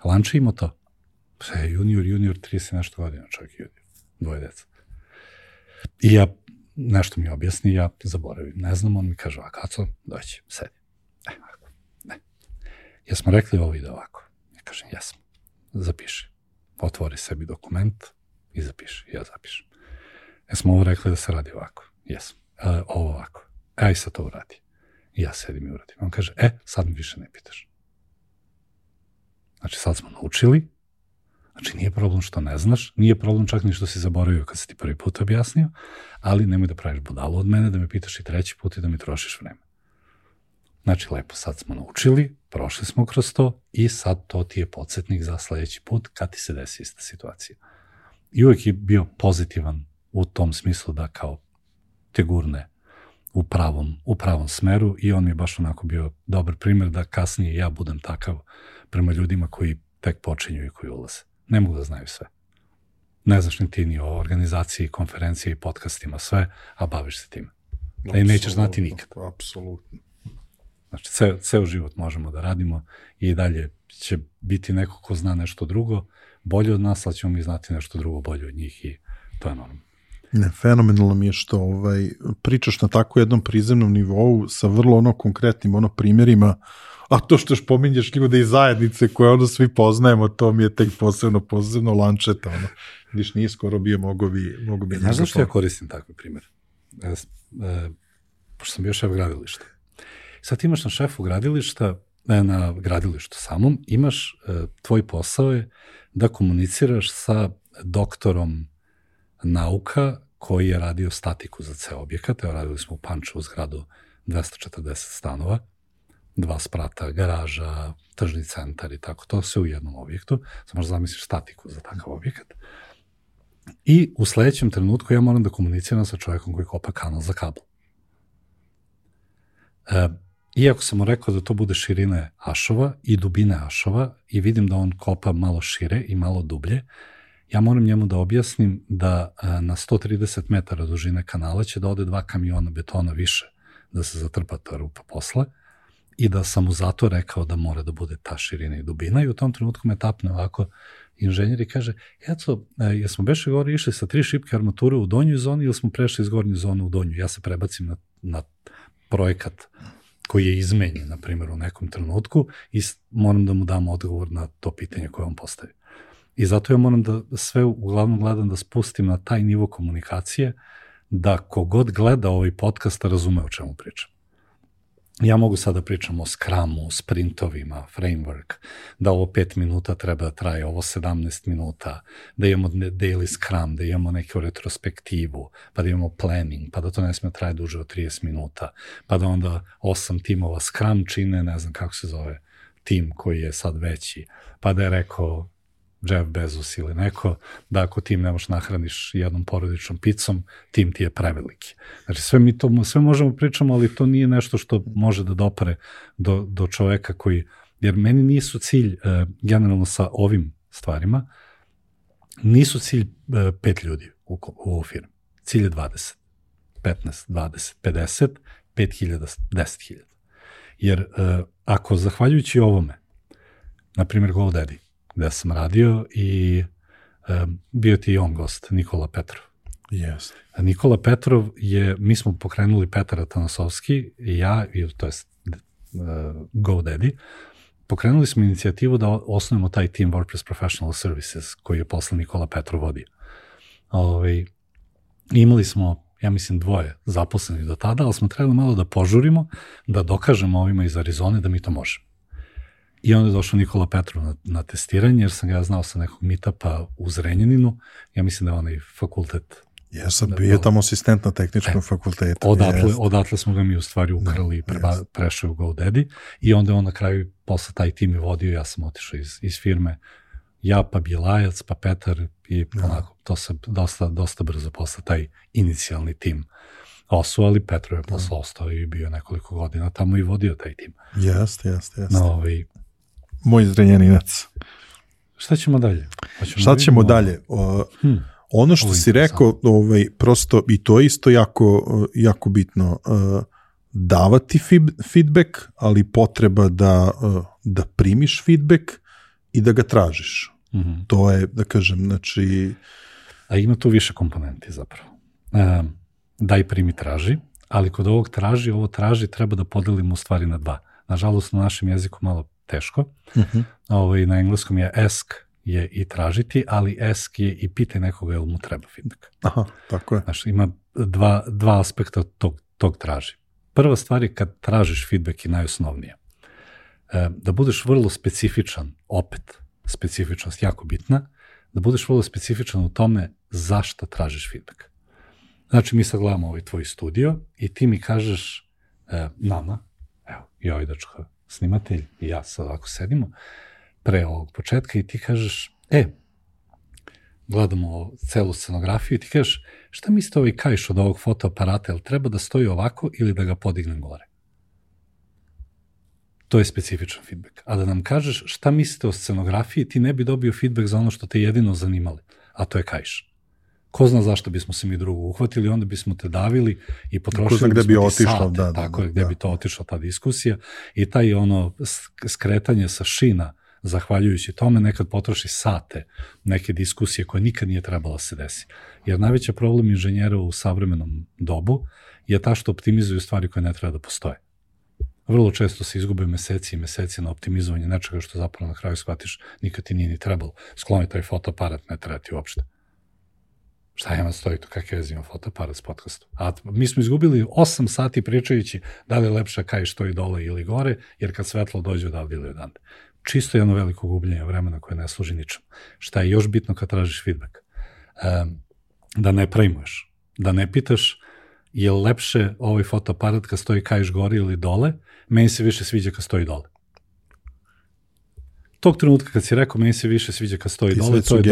Lanče imao to. Junior, 30 nešto godina, čovjek junior, 2 deca. I ja, nešto mi objasni, ja zaboravim, ne znam, on mi kaže, a Kaco, doći, sedi. Ne. Jesmo rekli ovo ide ovako? Ja kažem, jesmo. Zapiši. Otvori sebi dokument i zapiši. Ja zapišem. Jesmo ovo rekli da se radi ovako? Jesmo. Ovo ovako. Aj sad to uradi. I ja sedim i uradim. On kaže, sad mi više ne pitaš. Znači, sad smo naučili. Znači, nije problem što ne znaš, nije problem čak ni što si zaboravio kad si ti prvi put objasnio, ali nemoj da praviš budalu od mene, da me pitaš i 3. put i da mi trošiš vreme. Znači, lepo, sad smo naučili, prošli smo kroz to i sad to ti je podsjetnik za sledeći put kad ti se desi ista situacija. I uvek je bio pozitivan u tom smislu da kao te gurne u pravom smeru i on mi je baš onako bio dobar primjer da kasnije ja budem takav prema ljudima koji tek počinju i koji ulaze. Ne mogu da znaju sve. Ne znaš ni ti ni o organizaciji, konferenciji, podcastima, sve, a baviš se tim. Da i nećeš znati nikad. Apsolutno. Znači, ceo život možemo da radimo i dalje će biti neko ko zna nešto drugo bolje od nas, ali ćemo mi znati nešto drugo bolje od njih i to je normalno. Ne, fenomenalno mi je što pričaš na tako jednom prizemnom nivou sa vrlo konkretnim primjerima, a to što pominješ ljude iz zajednice koje svi poznajemo, to mi je tek posebno Lančeta, vidiš, nije skoro bio, mogo bi... Znaš zašto ja koristim takve primjer? Pošto sam bio šef gradilišta. Sad ti imaš na šefu gradilišta, na gradilištu samom, imaš, tvoj posao je da komuniciraš sa doktorom nauka koji je radio statiku za ceo objekat. Evo, radili smo u Pančevu zgradu 240 stanova, 2 sprata, garaža, tržni centar i tako, to sve u jednom objektu. Sad možda zamisliš statiku za takav objekat. I u sledećem trenutku ja moram da komuniciram sa čovjekom koji kopa kanal za kabel. Iako sam mu rekao da to bude širine ašova i dubine ašova i vidim da on kopa malo šire i malo dublje, ja moram njemu da objasnim da na 130 metara dužine kanala će da ode 2 kamiona betona više da se zatrpa ta rupa posle i da sam mu zato rekao da mora da bude ta širina i dubina i u tom trenutku me tapne ovako inženjer i kaže, eto, jesmo beše gore išli sa 3 šipke armature u donjoj zoni ili smo prešli iz gornje zone u donju? Ja se prebacim na projekat koji je izmenjen, na primjer, u nekom trenutku i moram da mu dam odgovor na to pitanje koje on postavi. I zato ja moram da sve uglavnom gledam da spustim na taj nivo komunikacije da kogod gleda ovaj podcast razume o čemu pričam. Ja mogu sad da pričam o Scrumu, sprintovima, framework, da ovo 5 minuta treba da traje, ovo 17 minuta, da imamo daily Scrum, da imamo neku retrospektivu, pa da imamo planning, pa da to ne smije traje duže od 30 minuta, pa da onda 8 timova Scrum čine, ne znam kako se zove, tim koji je sad veći, pa da je rekao Jeff Bezos ili neko, da ako tim ne možeš nahraniš jednom porodičnom picom, tim ti je preveliki. Znači, sve možemo pričamo, ali to nije nešto što može da dopre do čoveka koji, jer meni nisu cilj, generalno sa ovim stvarima, nisu cilj 5 ljudi u firmi. Cilj je 20, 15, 20, 50, 5.000, 10.000. Jer ako zahvaljujući ovome, na primjer GoDaddy, gde sam radio i bio ti i on gost, Nikola Petrov. Yes. Nikola Petrov mi smo pokrenuli Petar Atanasovski i ja, to je GoDaddy, pokrenuli smo inicijativu da osnovimo taj team WordPress Professional Services koji je posle Nikola Petrov vodio. Imali smo, ja mislim, 2 zaposlenih do tada, ali smo trebali malo da požurimo, da dokažemo ovima iz Arizone da mi to možemo. I onda je došao Nikola Petrov na testiranje, jer sam ga znao sa nekog meetupa u Zrenjaninu. Ja mislim da je onaj fakultet Ja sam bio tamo asistent na tehničkom fakultetu. Odatle smo ga mi u stvari ukrali i prešli u GoDaddy i onda on na kraju posle taj tim je vodio, ja sam otišao iz firme, ja pa Bjelajac, pa Petar i onako, to se dosta brzo posle taj inicijalni tim osu, ali Petro je posle ostao i bio nekoliko godina tamo i vodio taj tim. Jeste. Moj zrenjaninac. Šta ćemo dalje? Šta ćemo dalje? Ono što si rekao, prosto, i to je isto jako bitno, davati feedback, ali potreba da primiš feedback i da ga tražiš. To je, da kažem, znači... A ima tu više komponenti zapravo. Daj, primi, traži, ali kod ovog ovo traži treba da podelimo u stvari na dva. Nažalost, na našem jeziku malo teško. Na engleskom je ask je i tražiti, ali ask je i pitaj nekoga jel mu treba feedback. Aha, tako je. Znači, ima dva aspekta tog traži. Prva stvar je kad tražiš feedback i najosnovnije. Da budeš vrlo specifičan, opet, specifičnost jako bitna, da budeš vrlo specifičan u tome zašto tražiš feedback. Znači, mi sad gledamo ovaj tvoj studio i ti mi kažeš nama, evo, i ovaj dečko snimatelj i ja sad ovako sedimo, pre ovog početka i ti kažeš, gledamo celu scenografiju i ti kažeš, šta mislite ovaj kaiš od ovog fotoaparata, jel treba da stoji ovako ili da ga podignem gore? To je specifičan feedback. A da nam kažeš šta mislite o scenografiji, ti ne bi dobio feedback za ono što te jedino zanimali, a to je kaiš. Ko zna zašto bismo se mi drugo uhvatili, onda bismo te davili i potrošili bismo ti sate. Tako je, gde bi to otišla ta diskusija i taj skretanje sa šina, zahvaljujući tome, nekad potroši sate neke diskusije koje nikad nije trebala se desi. Jer najveći problem inženjera u savremenom dobu je ta što optimizuju stvari koje ne treba da postoje. Vrlo često se izgube meseci i meseci na optimizovanje nečega što zapravo na kraju shvatiš nikad ti nije ni trebalo. Skloni taj fotoaparat, ne treba ti uopšte. Šta ima stoji tu, kakve veze ima fotoaparat s podcastom? A mi smo izgubili 8 sati pričajući da li je lepša kaj stoji dole ili gore, jer kad svetlo dođe odavde ili odande. Čisto jedno veliko gubljenje vremena koje ne služi ničemu. Šta je još bitno kad tražiš feedback? Da ne prejmuješ, da ne pitaš je li lepše ovaj fotoaparat kad stoji kaiš gore ili dole, meni se više sviđa kad stoji dole. Tog trenutka kad si rekao meni se više sviđa kad stoji dole, to je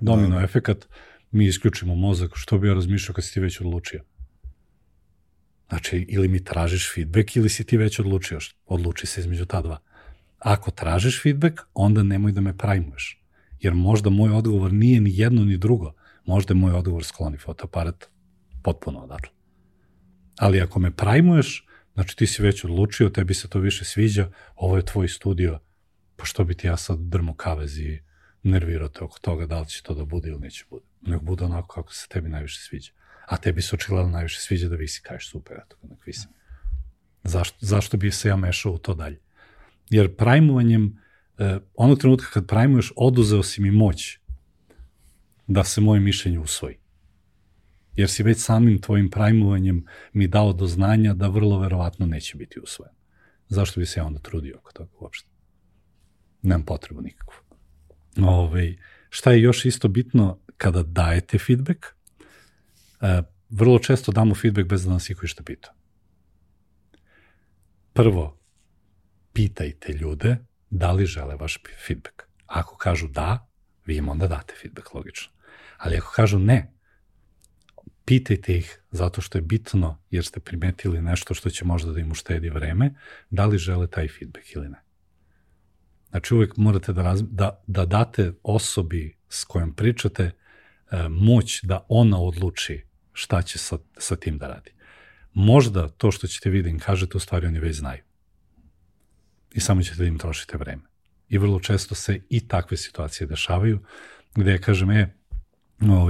domino efekat, mi isključimo mozak, što bi ja razmišljao kad si ti već odlučio. Znači, ili mi tražiš feedback ili si ti već odlučio, odluči se između ta dva. Ako tražiš feedback, onda nemoj da me prajmuješ, jer možda moj odgovor nije ni jedno ni drugo, možda je moj odgovor skloni fotoaparat potpuno odatle. Ali ako me prajmuješ, znači ti si već odlučio, tebi se to više sviđa, ovo je tvoj studio, pa što bi ti ja sad drmo kavez i nervirao te oko toga da li će to da bude ili neće bude. Nek bude onako kako se tebi najviše sviđa. A tebi se očigledno najviše sviđa da visi, kažeš super, eto ga nek visi. Zašto bi se ja mešao u to dalje? Jer prajmovanjem, onog trenutka kad prajmuješ, oduzeo si mi moć da se moje mišljenje usvoji. Jer si već samim tvojim prajmovanjem mi dao do znanja da vrlo verovatno neće biti usvojen. Zašto bi se ja onda trudio oko toga uopšte? Nemam potrebu nikakvu. Šta je još isto bitno kada dajete feedback? Vrlo često damo feedback bez da nas iko išta pita. Prvo, pitajte ljude da li žele vaš feedback. Ako kažu da, vi im onda date feedback, logično. Ali ako kažu ne, pitajte ih zato što je bitno, jer ste primetili nešto što će možda da im uštedi vreme, da li žele taj feedback ili ne. Znači uvek morate da date osobi s kojom pričate moć da ona odluči šta će sa tim da radi. Možda to što ćete vi da im kažete, u stvari oni već znaju. I samo ćete da im trošite vreme. I vrlo često se i takve situacije dešavaju, gde ja kažem,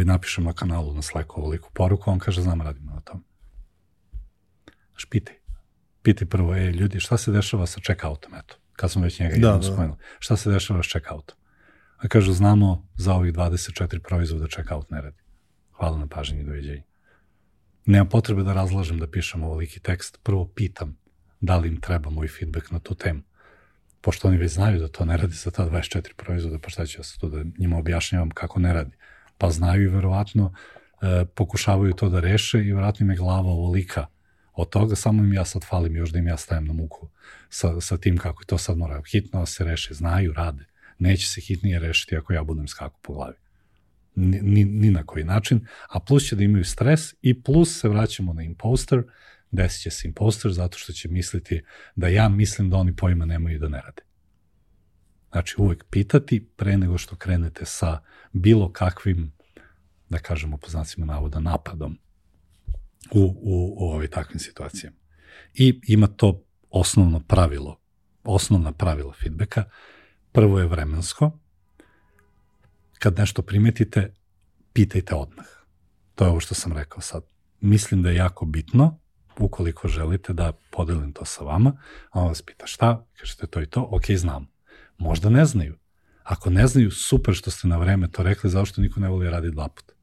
napišem na kanalu na Slacku ovoliku poruku, on kaže, znam, radimo na tom. Znaš, pitaj prvo, ljudi, šta se dešava sa check-outom, eto, kad smo već njega jednom spomenuli, šta se dešava s check-outom? A kažu, znamo za ovih 24 proizvoda check-out ne radi. Hvala na pažnji i doviđenja. Nema potrebe da razlažem da pišem ovoliki tekst, prvo pitam da li im treba moj feedback na tu temu. Pošto oni već znaju da to ne radi za ta 24 proizvoda, pa šta ću ja sad tu da njima objašnjavam kako ne radi. Pa znaju i verovatno pokušavaju to da reše i vratno im je glava ovolika od toga, samo im ja sad falim još da im ja stajem na muku sa tim kako to sad mora hitno se reši, znaju, rade. Neće se hitnije rešiti ako ja budem skaku po glavi. Ni na koji način, a plus će da imaju stres i plus se vraćamo na imposter, desit će se imposter zato što će misliti da ja mislim da oni pojma nemaju i da ne rade. Znači uvek pitati pre nego što krenete sa bilo kakvim, da kažemo po znacima navoda, napadom u takvim situacijama. I ima to osnovna pravila feedbacka. Prvo je vremensko. Kad nešto primetite, pitajte odmah. To je ovo što sam rekao sad. Mislim da je jako bitno, ukoliko želite da podelim to sa vama, a on vas pita šta, kažete to i to, ok, znam. Možda ne znaju. Ako ne znaju, super što ste na vreme to rekli, zašto niko ne voli raditi 2 puta.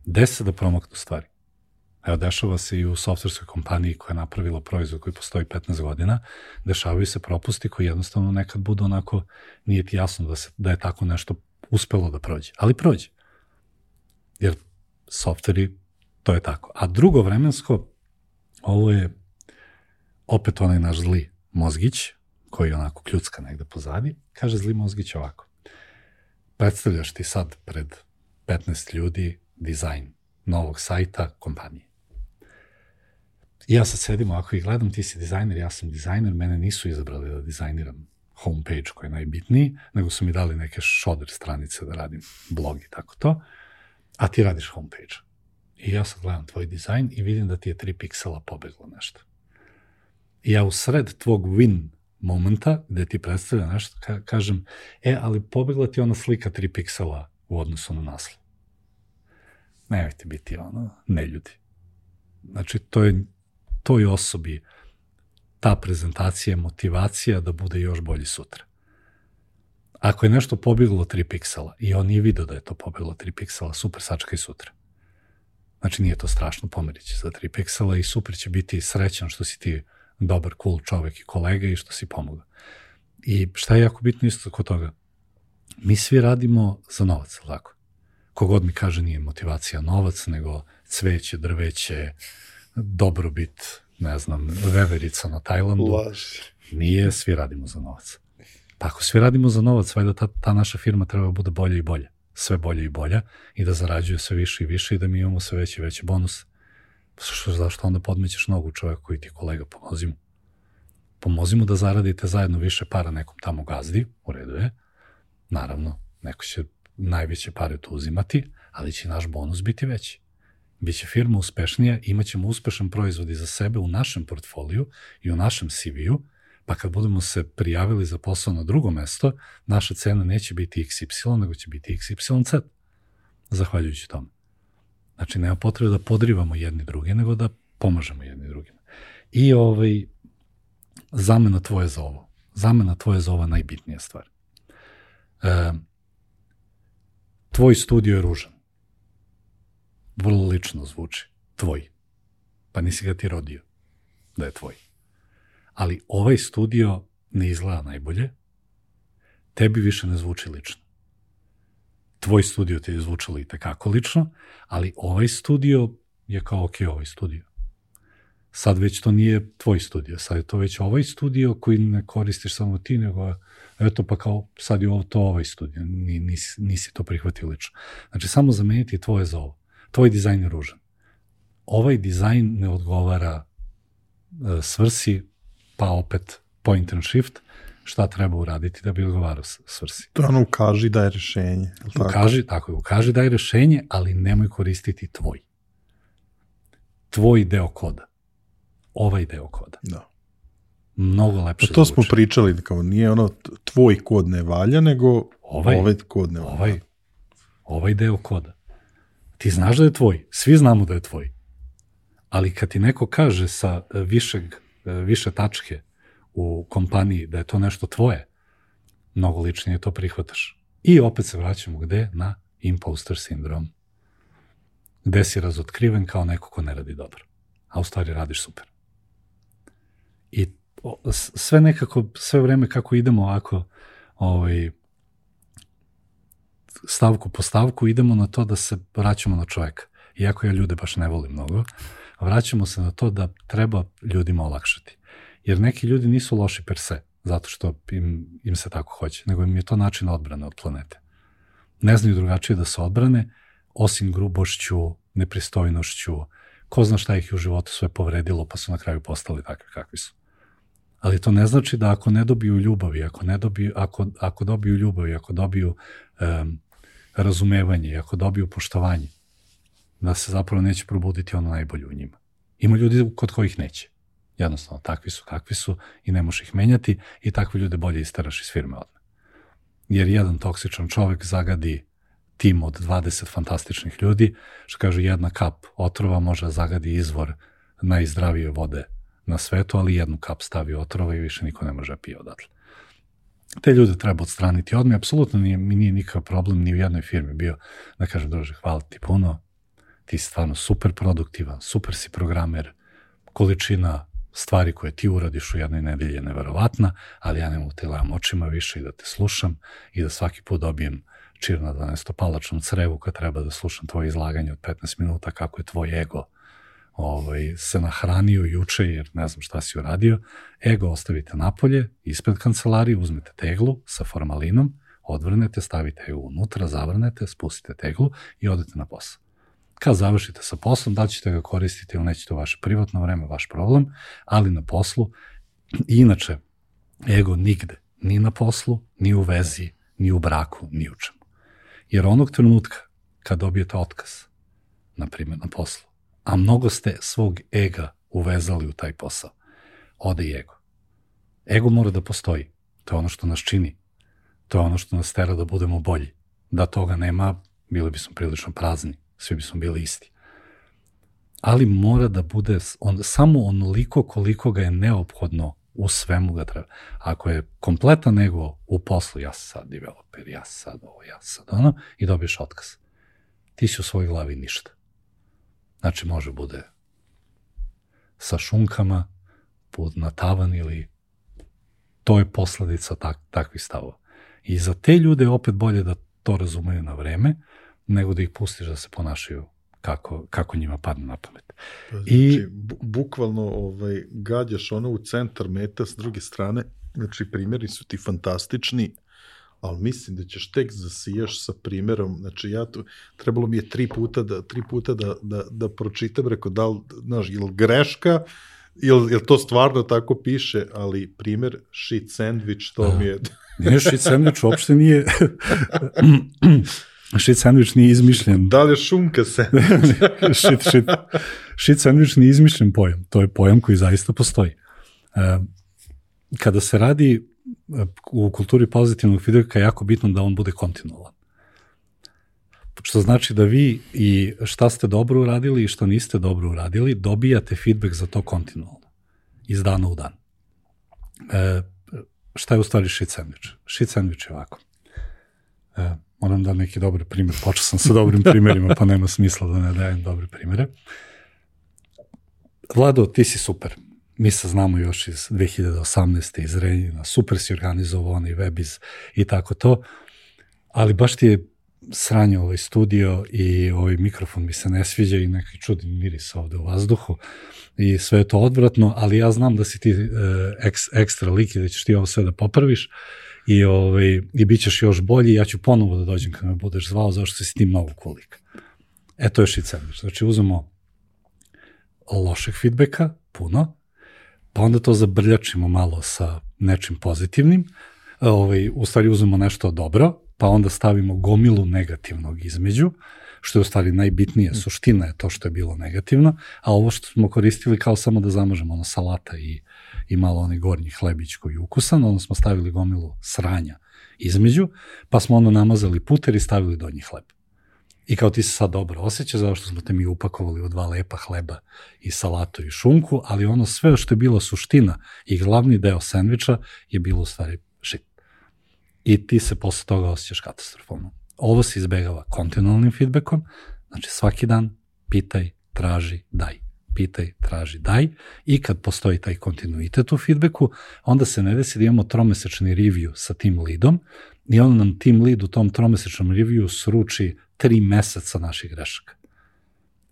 Desi se da promaknu stvari. Evo, dešava se i u softverskoj kompaniji koja je napravila proizvod koji postoji 15 godina, dešavaju se propusti koji jednostavno nekad budu onako, nije ti jasno da je tako nešto uspelo da prođe. Ali prođe. Jer softveri, to je tako. A drugo vremensko, ovo je opet onaj naš zli mozgić, koji onako kljucka negde pozadi, kaže zli mozgić ovako. Predstavljaš ti sad pred 15 ljudi dizajn novog sajta kompanije. I ja sad sedim ovako i gledam, ti si dizajner, ja sam dizajner, mene nisu izabrali da dizajniram homepage koji je najbitniji, nego su mi dali neke šoder stranice da radim blog i tako to, a ti radiš homepage. I ja sad gledam tvoj dizajn i vidim da ti je 3 piksela pobeglo nešto. I ja u sred tvog win momenta, gde ti predstavlja nešto, kažem, ali pobegla ti ona slika 3 piksela u odnosu na naslov. Nemojte biti neljudi. Znači, toj osobi ta prezentacija je motivacija da bude još bolji sutra. Ako je nešto pobeglo 3 piksela i on nije vidio da je to pobeglo 3 piksela, super, sačekaj sutra. Znači, nije to strašno, pomerit će za 3 piksela i super će biti srećan što si ti dobar, cool čovek i kolega i što si pomogao. I šta je jako bitno isto kod toga? Mi svi radimo za novac, tako? Kogod mi kaže nije motivacija novac, nego cveće, drveće, dobrobit, ne znam, veverica na Tajlandu. Nije, svi radimo za novac. Pa ako svi radimo za novac, valjda ta naša firma treba bude bolja i bolja. Sve bolje i bolja i da zarađuje sve više i više i da mi imamo sve veće i veće bonuse. Zašto onda podmećeš nogu čovjeka koji ti je kolega, pomozi mu. Pomozi mu da zaradite zajedno više para nekom tamo gazdi, u redu je. Naravno, neko će najveće pare tu uzimati, ali će naš bonus biti veći. Biće firma uspešnija, imat ćemo uspešan proizvod i za sebe u našem portfoliju i u našem CV-u, pa kad budemo se prijavili za posao na drugo mesto, naša cena neće biti XY, nego će biti XYZ, zahvaljujući tome. Znači, nema potrebe da podrivamo jedni drugi, nego da pomažemo jedni drugima. I zamena tvoje za ovo. Zamena tvoje za ovo je najbitnija stvar. Tvoj studio je ružan. Vrlo lično zvuči. Tvoj. Pa nisi ga ti rodio da je tvoj. Ali ovaj studio ne izgleda najbolje, tebi više ne zvuči lično. Tvoj studio ti je zvučalo i tekako lično, ali ovaj studio je kao ok, ovaj studio. Sad već to nije tvoj studio, sad je to već ovaj studio koji ne koristiš samo ti, nego eto pa kao sad je to ovaj studio, nisi to prihvatio lično. Znači samo zameniti tvoje za ovo. Tvoj dizajn je ružan. Ovaj dizajn ne odgovara svrsi, pa opet point and shift, šta treba uraditi da bi odgovarao svrsi. To ono ukaži da je rešenje. Ukaži da je rešenje, ali nemoj koristiti tvoj. Tvoj deo koda. Ovaj deo koda. Da. Mnogo lepše to zvuči. Smo pričali, kao nije ono tvoj kod ne valja, nego ovaj kod ne valja. Ovaj deo koda. Ti znaš da je tvoj, svi znamo da je tvoj. Ali kad ti neko kaže sa više tačke u kompaniji da je to nešto tvoje, mnogo ličnije to prihvataš. I opet se vraćamo gde? Na imposter sindrom. Gde si razotkriven kao neko ko ne radi dobro. A u stvari radiš super. I sve nekako, sve vreme kako idemo ovako, stavku po stavku idemo na to da se vraćamo na čoveka. Iako ja ljude baš ne volim mnogo, vraćamo se na to da treba ljudima olakšati. Jer neki ljudi nisu loši per se, zato što im se tako hoće, nego im je to način odbrane od planete. Ne znaju drugačije da se odbrane, osim grubošću, nepristojnošću, ko zna šta ih u životu sve povredilo, pa su na kraju postali takvi kakvi su. Ali to ne znači da ako ne dobiju ljubavi, ako dobiju ljubavi, ako dobiju razumevanje, ako dobiju poštovanje, da se zapravo neće probuditi ono najbolje u njima. Ima ljudi kod kojih neće. Jednostavno, takvi su kakvi su i ne možeš ih menjati i takve ljude bolje isteraš iz firme odmah. Jer jedan toksičan čovek zagadi tim od 20 fantastičnih ljudi, što kaže jedna kap otrova može zagadi izvor najzdravije vode na svetu, ali jednu kap stavi otrova i više niko ne može pije odatle. Te ljude treba odstraniti odmah. Apsolutno mi nije nikakav problem ni u jednoj firmi bio da kažem, druže, hvala ti puno, ti si stvarno super produktivan, super si programer, količina stvari koje ti uradiš u jednoj nedelji je neverovatna, ali ja ne mogu te gledam očima više i da te slušam i da svaki put dobijem čir na 12-palačnom crevu kad treba da slušam tvoje izlaganje od 15 minuta kako je tvoj ego se nahranio juče jer ne znam šta si uradio. Ego ostavite napolje, ispred kancelarije, uzmete teglu sa formalinom, odvrnete, stavite ju unutra, zavrnete, spustite teglu i odete na posao. Kad završite sa poslom, da ćete ga koristiti ili nećete u vaše privatno vreme, vaš problem, ali na poslu. I inače, ego nigde, ni na poslu, ni u vezi, ni u braku, ni u čemu. Jer onog trenutka kad dobijete otkaz, na primjer na poslu, a mnogo ste svog ega uvezali u taj posao, ode i ego. Ego mora da postoji. To je ono što nas čini. To je ono što nas tera da budemo bolji. Da toga nema, bili bismo prilično prazni. Svi bismo bili isti. Ali mora da bude samo onoliko koliko ga je neophodno u svemu ga treba. Ako je kompletan ego u poslu, ja sam sad developer, ja sam sad ovo, ja sam sad ono, i dobiješ otkaz. Ti si u svojoj glavi ništa. Znači može bude sa šunkama, put na tavan ili to je posledica takvih stavova. I za te ljude je opet bolje da to razumeju na vreme, nego da ih pustiš da se ponašaju kako njima padne na pamet. Znači, bukvalno gađaš ono u centar meta s druge strane, znači primjeri su ti fantastični, ali mislim da ćeš tek zasijaš sa primjerom, znači trebalo mi je tri puta da pročitam, rekao da li, znaš, je li greška, je li to stvarno tako piše, ali primjer shit sandwich, to mi je... Nije shit sandwich, uopšte nije... Shit sandwich nije izmišljen. Da li je šunka sandwich? Shit sandwich nije izmišljen pojam. To je pojam koji zaista postoji. Kada se radi u kulturi pozitivnog feedbacka je jako bitno da on bude kontinualan. Što znači da vi i šta ste dobro uradili i što niste dobro uradili, dobijate feedback za to kontinualno. Iz dana u dan. Šta je u stvari shit sandwich? Shit sandwich je ovako. Moram da neki dobar primjer. Počeo sam sa dobrim primjerima, pa nema smisla da ne dajem dobre primjere. Vlado, ti si super. Mi se znamo još iz 2018. iz Renjina. Super si organizovao onaj webiz i tako to. Ali baš ti je sranje ovaj studio i ovaj mikrofon mi se ne sviđa i neki čudni miris ovde u vazduhu i sve je to odvratno, ali ja znam da si ti ekstra lik i da ćeš ti ovo sve da popraviš. I bit ćeš još bolji, ja ću ponovo da dođem kad me budeš zvao, zašto si ti mnogo cool-lik. To je shit sandwich. Znači, uzmemo lošeg feedbacka, puno, pa onda to zabrljačimo malo sa nečim pozitivnim, u stvari uzmemo nešto dobro, pa onda stavimo gomilu negativnog između, što je u stvari najbitnije, suština je to što je bilo negativno, a ovo što smo koristili kao samo da zamažemo salata i malo onaj gornji hlebić koji je ukusan, onda smo stavili gomilu sranja između, pa smo onda namazali puter i stavili donji hleb. I kao ti se sad dobro osjećaš, zato što smo te mi upakovali u 2 lepa hleba i salatu i šunku, ali ono sve što je bilo suština i glavni deo sendviča je bilo u stvari shit. I ti se posle toga osjećaš katastrofalno. Ovo se izbegava kontinualnim feedbackom, znači svaki dan pitaj, traži, daj. pitaj, traži, daj, i kad postoji taj kontinuitet u feedbacku, onda se ne desi da imamo tromesečni review sa tim leadom i onda nam team lead u tom tromesečnom reviewu sruči 3 meseca naših grešaka.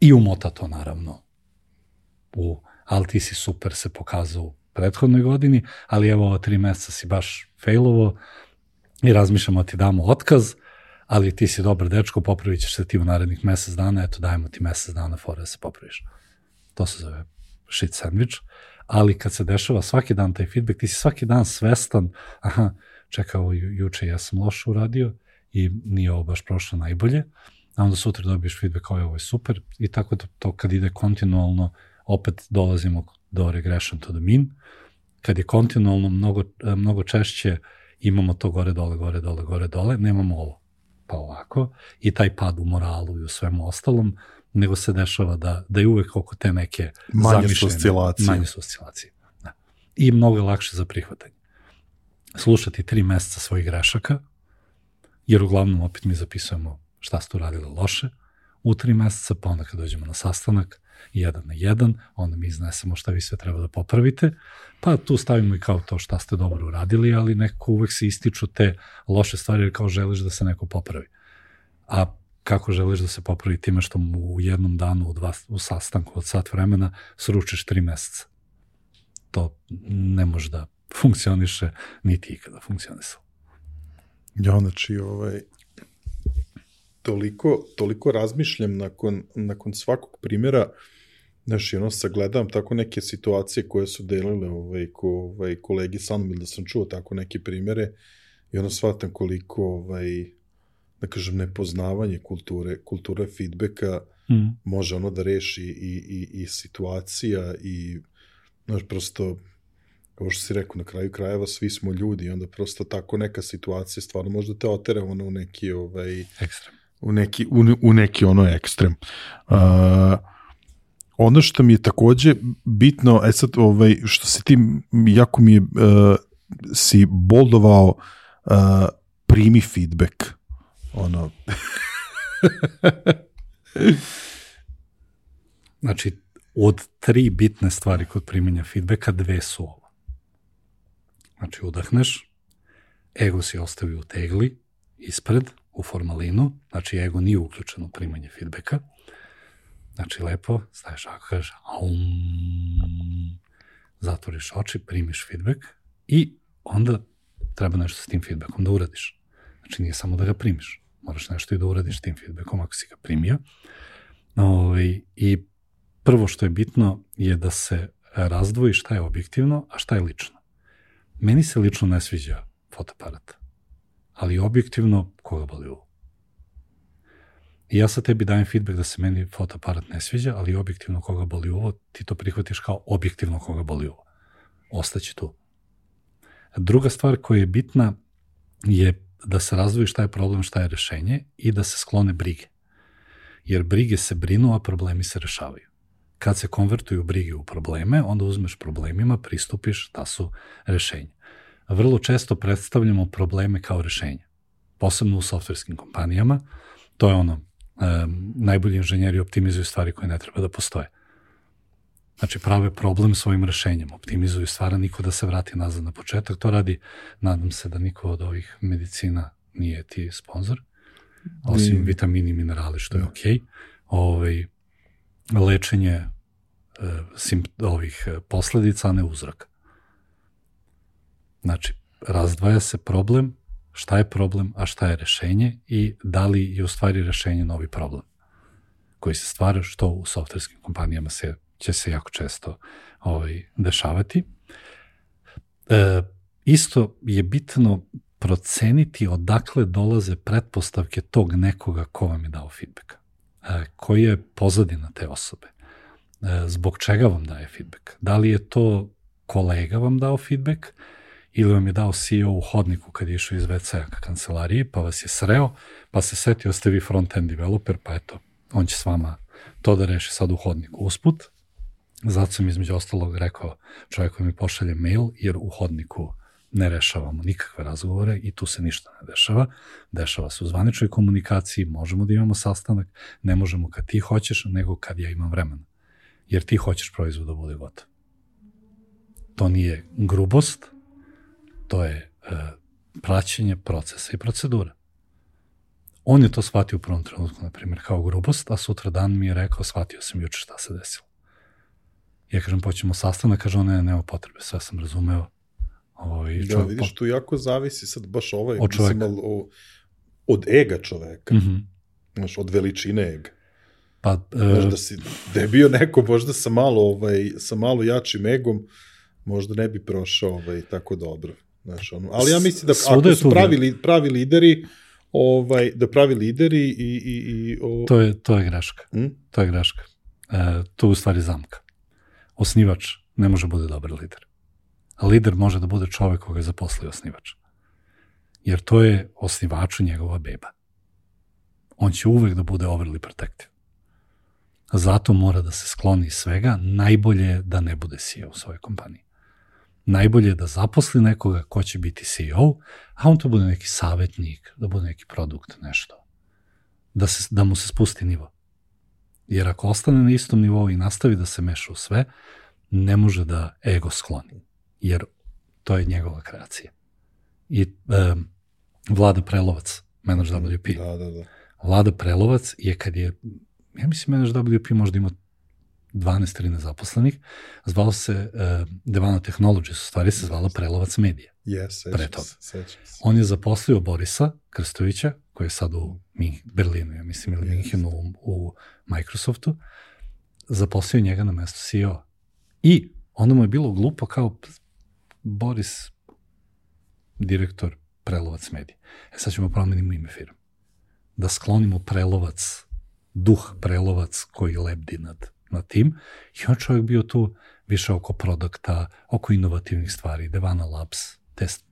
I umota to naravno ali ti si super se pokazao u prethodnoj godini, ali evo ova 3 meseca si baš failovo i razmišljamo ti damo otkaz, ali ti si dobar dečko, popravit ćeš se ti u narednih mesec dana, eto dajemo ti mesec dana fora da se popraviš. To se zove shit sandwich, ali kad se dešava svaki dan taj feedback, ti si svaki dan svestan, aha, čekao, juče ja sam loše uradio i nije ovo baš prošlo najbolje, a onda sutra dobiješ feedback kao ovo je super i tako to kad ide kontinualno, opet dolazimo do regression to the mean. Kad je kontinualno mnogo češće imamo to gore, dole, nemamo ovo pa ovako i taj pad u moralu i u svemu ostalom, nego se dešava da je uvek oko te neke manje su oscilacije. Da. I mnogo je lakše za prihvatanje. Slušati 3 meseca svojih grešaka, jer uglavnom opet mi zapisujemo šta ste uradili loše u 3 meseca, pa onda kad dođemo na sastanak, 1 na 1, onda mi iznesemo šta vi sve treba da popravite, pa tu stavimo i kao to šta ste dobro uradili, ali nekako uvek se ističu te loše stvari jer kao želiš da se neko popravi. A kako želiš da se popravi time što mu u jednom danu u sastanku od sat vremena sručiš 3 meseca? To ne može da funkcioniše, niti ikada funkcionisalo. Ja, znači, toliko razmišljam nakon svakog primjera, znaš, ono sagledam tako neke situacije koje su delile kolegi sa mnom, ili da sam čuo tako neke primjere i ono shvatam koliko, da kažem, nepoznavanje kulture feedbacka može ono da reši i situacija i, znaš, prosto, kao što si rekao, na kraju krajeva svi smo ljudi i onda prosto tako neka situacija stvarno možda te otere ono u neki ekstrem. U neki ono ekstrem. Ono što mi je takođe bitno, sad, što si ti, jako mi je, si boldovao, primi feedback. Ono. Znači, od 3 bitne stvari kod primjenja feedbacka, 2 su ovo. Znači, udahneš, ego si ostavi u tegli, ispred, u formalinu, znači ego nije uključeno u primanje feedbacka, znači lepo, staviš ako kažeš zatvoriš oči, primiš feedback i onda treba nešto s tim feedbackom da uradiš. Znači nije samo da ga primiš, moraš nešto i da uradiš s tim feedbackom ako si ga primio. I prvo što je bitno je da se razdvoji šta je objektivno, a šta je lično. Meni se lično ne sviđa fotoaparat, ali objektivno koga boli uvo. I ja sad tebi dajem feedback da se meni fotoaparat ne sviđa, ali objektivno koga boli uvo, ti to prihvatiš kao objektivno koga boli uvo. Ostaće tu. Druga stvar koja je bitna je da se razdvoji šta je problem, šta je rešenje i da se sklone brige. Jer brige se brinu, a problemi se rešavaju. Kad se konvertuju brige u probleme, onda uzmeš problemima, pristupiš, da su rešenja. Vrlo često predstavljamo probleme kao rešenje. Posebno u softverskim kompanijama. To je ono, najbolji inženjeri optimizuju stvari koje ne treba da postoje. Znači, prave problem svojim rešenjem. Optimizuju stvari, niko da se vrati nazad na početak. To radi, nadam se da niko od ovih medicina nije ti sponsor. Osim vitamini i minerali, što je okej. Lečenje ovih posledica, a ne uzroka. Znači, razdvaja se problem, šta je problem, a šta je rešenje i da li je u stvari rešenje novi problem koji se stvara, što u softverskim kompanijama će se jako često dešavati. Isto je bitno proceniti odakle dolaze pretpostavke tog nekoga ko vam je dao feedback. Koji je pozadina te osobe? Zbog čega vam daje feedback? Da li je to kolega vam dao feedback ili vam je dao CEO u hodniku kad je išao iz WC-a ka kancelariji, pa vas je sreo, pa se setio ste vi front-end developer, pa eto, on će s vama to da reši sad u hodniku usput. Zato sam između ostalog rekao čovjeku mi pošalje mail, jer u hodniku ne rešavamo nikakve razgovore i tu se ništa ne dešava. Dešava se u zvaničnoj komunikaciji, možemo da imamo sastanak, ne možemo kad ti hoćeš, nego kad ja imam vremena. jer ti hoćeš proizvod da bude gotov. To nije grubost, to je praćenje procesa i procedura. On je to shvatio u prvom trenutku, na primjer, kao grubost, a sutra dan mi je rekao, shvatio sam juče šta se desilo. Ja kažem, poćemo sastanak, kaže on, nema potrebe, sve sam razumeo. Da, vidiš, tu jako zavisi sad baš mislim, od ega čoveka. Znaš, od veličine ega. Pa, znaš, da je bio neko možda sa malo jačim egom, možda ne bi prošao tako dobro. Znaš, ali ja mislim da ako su pravi lideri, da pravi lideri i To je greška. To je greška. To je u stvari zamka. Osnivač ne može bude dobar lider. A lider može da bude čovek koga je zaposlio osnivač. Jer to je osnivaču njegova beba. On će uvek da bude overly protective. Zato mora da se skloni iz svega, najbolje je da ne bude CEO u svojoj kompaniji. Najbolje je da zaposli nekoga ko će biti CEO, a on to bude neki savjetnik, da bude neki produkt, nešto. Da mu se spusti nivo. Jer ako ostane na istom nivou i nastavi da se meša u sve, ne može da ego skloni. Jer to je njegova kreacija. I Vlada Prelovac, Manage WP. Da. Vlada Prelovac je kad je, ja mislim Manage WP možda ima 12-13 zaposlenih, zvalo se Devana Technologies, u stvari se zvala Prelovac Media. Sećam se. On je zaposlio Borisa Krstovića, koji je sad u Berlinu, ja mislim, ili Minhenu u Microsoftu, zaposlio njega na mesto CEO. I onda mu je bilo glupo kao Boris, direktor Prelovac Media. Sad ćemo promenimo ime firme. Da sklonimo Prelovac, duh Prelovac koji lebdi nad tim. I on čovjek bio tu više oko produkta, oko inovativnih stvari, Devana Labs,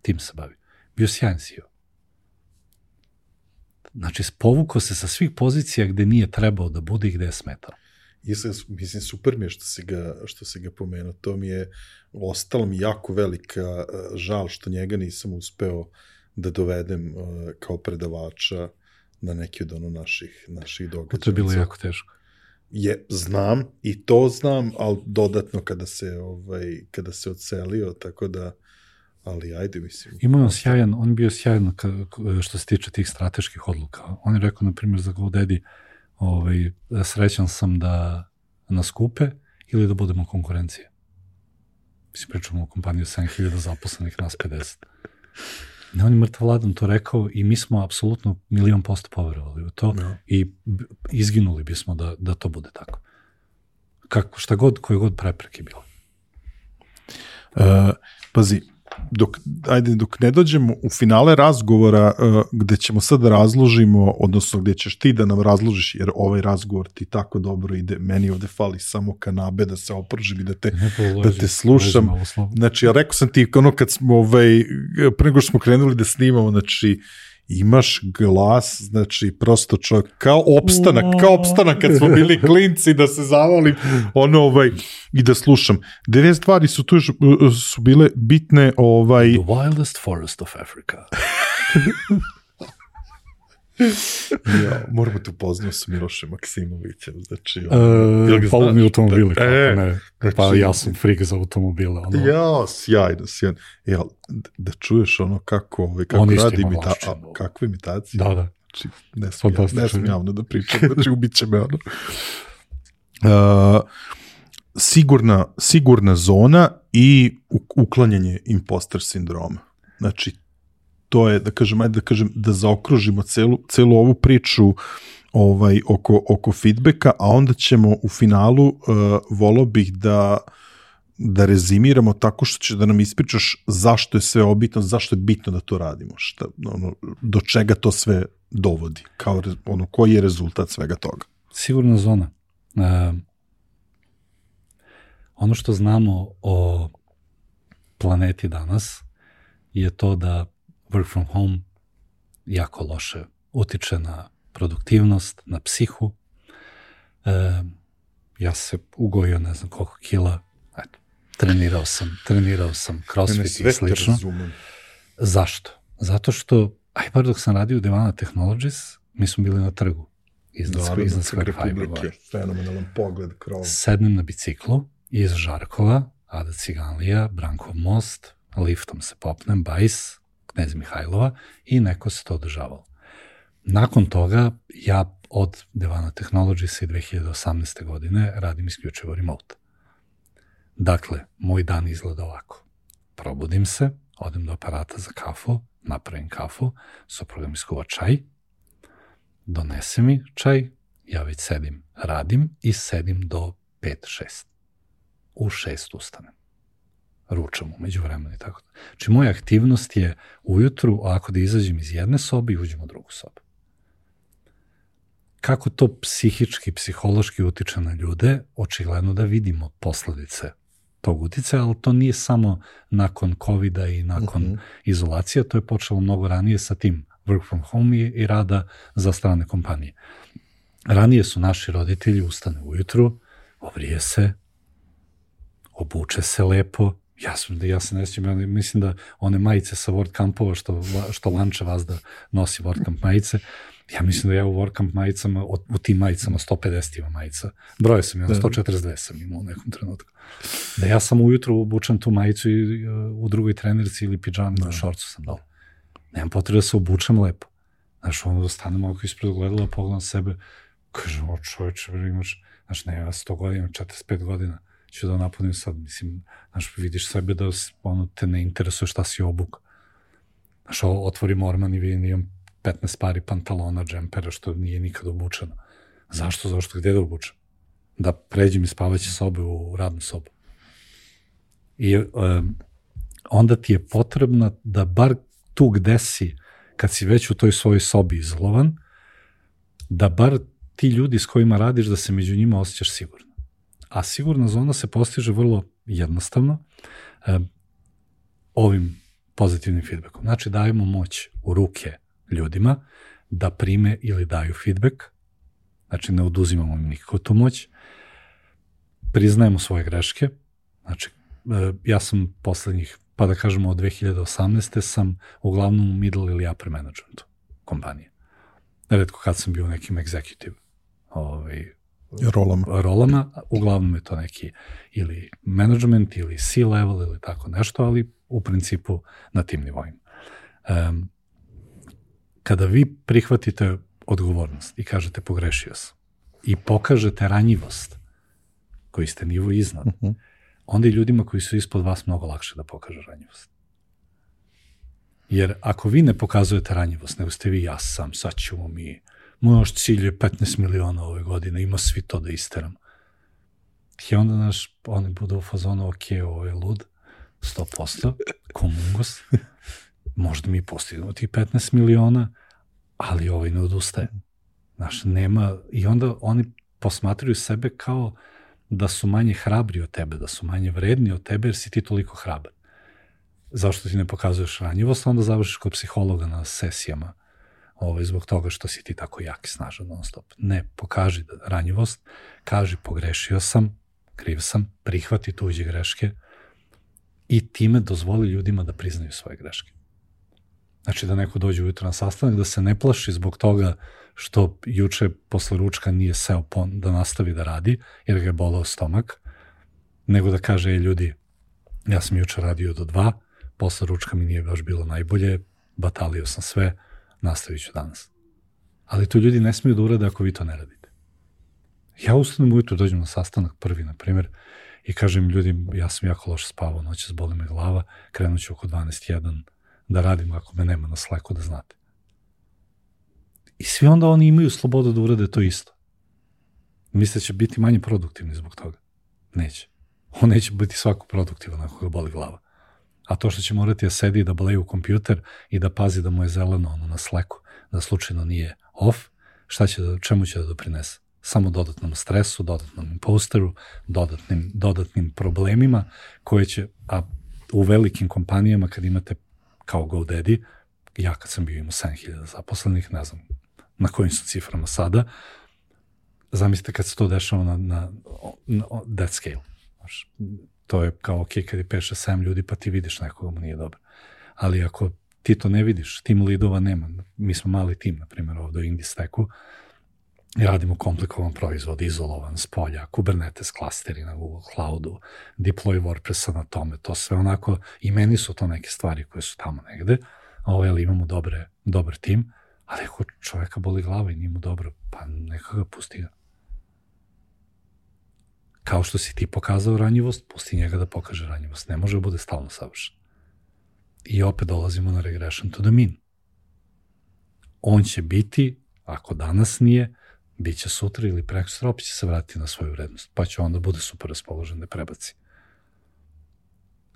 tim se bavi. Bio sjajan CEO. Znači, povukao se sa svih pozicija gde nije trebao da bude i gde je smetao. Mislim, super mi je što si ga pomenuo. To mi je, ostalo mi jako velika žal što njega nisam uspeo da dovedem kao predavača na neki od naših događaja. To je bilo jako teško. Znam, i to znam, ali dodatno kada se odselio, tako da, ali ajde, mislim. On bio sjajan što se tiče tih strateških odluka. On je rekao, na primjer, za GoDaddy, srećan sam da nas kupe ili da budemo konkurencije. Mislim, pričamo o kompaniji 7.000 zaposlenih, nas 50. Ne, on je mrtav Vladan to rekao i mi smo apsolutno 1,000,000% poverovali u to i izginuli bismo da to bude tako. Koje god prepreke bilo. Pazi, dok ne dođemo u finale razgovora gde ćemo sad da razložimo, odnosno gde ćeš ti da nam razložiš, jer ovaj razgovor ti tako dobro ide, meni ovde fali samo kanabe da se opržim i da te slušam. Znači, ja rekao sam ti, kad smo pre nego što smo krenuli da snimamo, znači, imaš glas, znači, prosto čovjek, kao opstanak kad smo bili klinci, da se zavolim, i da slušam. 9 stvari su tu su bile bitne, The wildest forest of Africa. Moramo te upoznao sa Milošem Maksimovićem, znači... Palo mi automobile, pa ja sam frik za automobile. Sjajno. Da čuješ kako radi kakve imitacije. Da. Znači, ne sam javno da pričam, znači ubit će me sigurna zona i uklanjanje imposter sindroma. Znači, to je, da zaokružimo celu ovu priču oko feedbacka, a onda ćemo u finalu, volao bih da rezimiramo tako što će da nam ispričaš zašto je sve obitno, zašto je bitno da to radimo, do čega to sve dovodi, koji je rezultat svega toga. Sigurna zona. Ono što znamo o planeti danas je to da work from home jako loše utiče na produktivnost, na psihu. Ja se ugojio ne znam koliko kila, trenirao sam crossfit i slično. Zašto? Zato što, bar dok sam radio u Devana Technologies, mi smo bili na trgu iznad Square Fiber. Fenomenalan pogled, krov. Sednem na biciklu iz Žarkova, Ada Ciganlija, Brankov most, liftom se popnem, Bajs, Knez Mihajlova i neko se to održavalo. Nakon toga ja od Devana Technologies i 2018. godine radim isključivo remote. Dakle, moj dan izgleda ovako. Probudim se, odem do aparata za kafu, napravim kafu, supruga mi skuva čaj, donese mi čaj, ja već sedim, radim i sedim do 5-6. U 6 ustanem. Ručam umeđu vremena i tako da. Znači, moja aktivnost je ujutru, ovako da izađem iz jedne sobe i uđem u drugu sobu. Kako to psihički, psihološki utiče na ljude, očigledno da vidimo posledice tog uticaja, ali to nije samo nakon COVID-a i nakon izolacija, to je počelo mnogo ranije sa tim work from home i rada za strane kompanije. Ranije su naši roditelji ustane ujutru, obrije se, obuče se lepo, ja se ne sjećam, mislim da one majice sa WordCampova što Lanče Vazda nosi WordCamp majice, ja mislim da ja u WordCamp majicama, u tim majicama 150 ima majica, broje sam ja, 142 sam imao u nekom trenutku. Da ja sam ujutru obučem tu majicu i u drugoj trenerci ili pidžami, na šorcu sam dao. Nemam potrebe da se obučem lepo. Znaš, ono da stanem ovako ispred ogledala, pogledam sebe, kažem, o čovječe, imaš, znaš, ne, ja 100 godina, 45 godina, ću da napunim sad, mislim, znaš, vidiš sebe da ono, te ne interesuje šta si obuk. Znaš, otvorim orman i vidim, imam 15 pari pantalona, džempera, što nije nikad obučeno. Zašto? Gde da obučem? Da pređem iz spavaće sobe u radnu sobu. I onda ti je potrebno da bar tu gde si, kad si već u toj svojoj sobi izolovan, da bar ti ljudi s kojima radiš, da se među njima osjećaš sigurno. A sigurna zona se postiže vrlo jednostavno ovim pozitivnim feedbackom. Znači, dajemo moć u ruke ljudima da prime ili daju feedback, znači ne oduzimamo im nikako tu moć, priznajemo svoje greške, znači ja sam poslednjih, pa da kažemo od 2018. sam uglavnom u middle ili upper managementu kompanije. Redko kad sam bio u nekim executive rolama, uglavnom je to neki ili management ili C-level ili tako nešto, ali u principu na tim nivoima. Kada vi prihvatite odgovornost i kažete pogrešio sam i pokažete ranjivost koji ste nivo iznad, onda i ljudima koji su ispod vas mnogo lakše da pokažu ranjivost. Jer ako vi ne pokazujete ranjivost, nego ste vi ja sam, sad ćemo mi, moj cilj je 15 miliona ove godine, ima svi to da isteram. I onda oni budu u fazonu, ok, ovo je lud, 100%, komungus, možda mi postignemo tih 15 miliona, ali ovaj ne odustaje. Znaš, nema, i onda oni posmatraju sebe kao da su manje hrabri od tebe, da su manje vredni od tebe jer si ti toliko hrabar. Zašto ti ne pokazuješ ranjivost, onda završiš kod psihologa na sesijama zbog toga što si ti tako jak i snažan non stop. Ne, pokaži ranjivost, kaži pogrešio sam, kriv sam, prihvati tuđe greške i time dozvoli ljudima da priznaju svoje greške. Znači da neko dođe ujutro na sastanak, da se ne plaši zbog toga što juče posle ručka nije seo da nastavi da radi, jer ga je bolao stomak, nego da kaže, ljudi, ja sam juče radio do 2, posle ručka mi nije baš bilo najbolje, batalio sam sve, nastavit ću danas. Ali to ljudi ne smiju da urade ako vi to ne radite. Ja ustanem ujutro, dođem na sastanak prvi, na primjer, i kažem ljudi, ja sam jako loše spavao, noćas boli me glava, krenut ću oko 12:01 da radim ako me nema na Slacku, da znate. I svi onda oni imaju slobodu da urade to isto. Misle će biti manje produktivni zbog toga. Neće. On neće biti svako produktivan ako ga boli glava. A to što će morati da sedi i da baleju u kompjuter i da pazi da mu je zeleno na Slacku, da slučajno nije off, čemu će da doprinese? Samo dodatnom stresu, dodatnom imposteru, dodatnim problemima koje će, a u velikim kompanijama kad imate kao GoDaddy, ja kad sam bio imao 7.000 zaposlenih, ne znam na kojim su ciframa sada, zamislite kad se to dešava na that scale. To je kao ok, kad je 5-6-7 ljudi, pa ti vidiš nekoga mu nije dobro. Ali ako ti to ne vidiš, tim lidova nema. Mi smo mali tim, na primjer, ovdje u Indie Stacku, I radimo komplikovan proizvod, izolovan s polja, Kubernetes klasteri na Google Cloudu, deploy WordPressa na tome, to sve onako, i meni su to neke stvari koje su tamo negde, ali imamo dobar tim, ali ako čoveka boli glava i nije mu dobro, pa neka ga pusti ga. Kao što si ti pokazao ranjivost, pusti njega da pokaže ranjivost. Ne može da bude stalno savršen. I opet dolazimo na regression to the mean. On će biti, ako danas nije, bit će sutra ili prekosutra, opet će se vratiti na svoju vrednost, pa će onda bude super raspoložen da prebaci.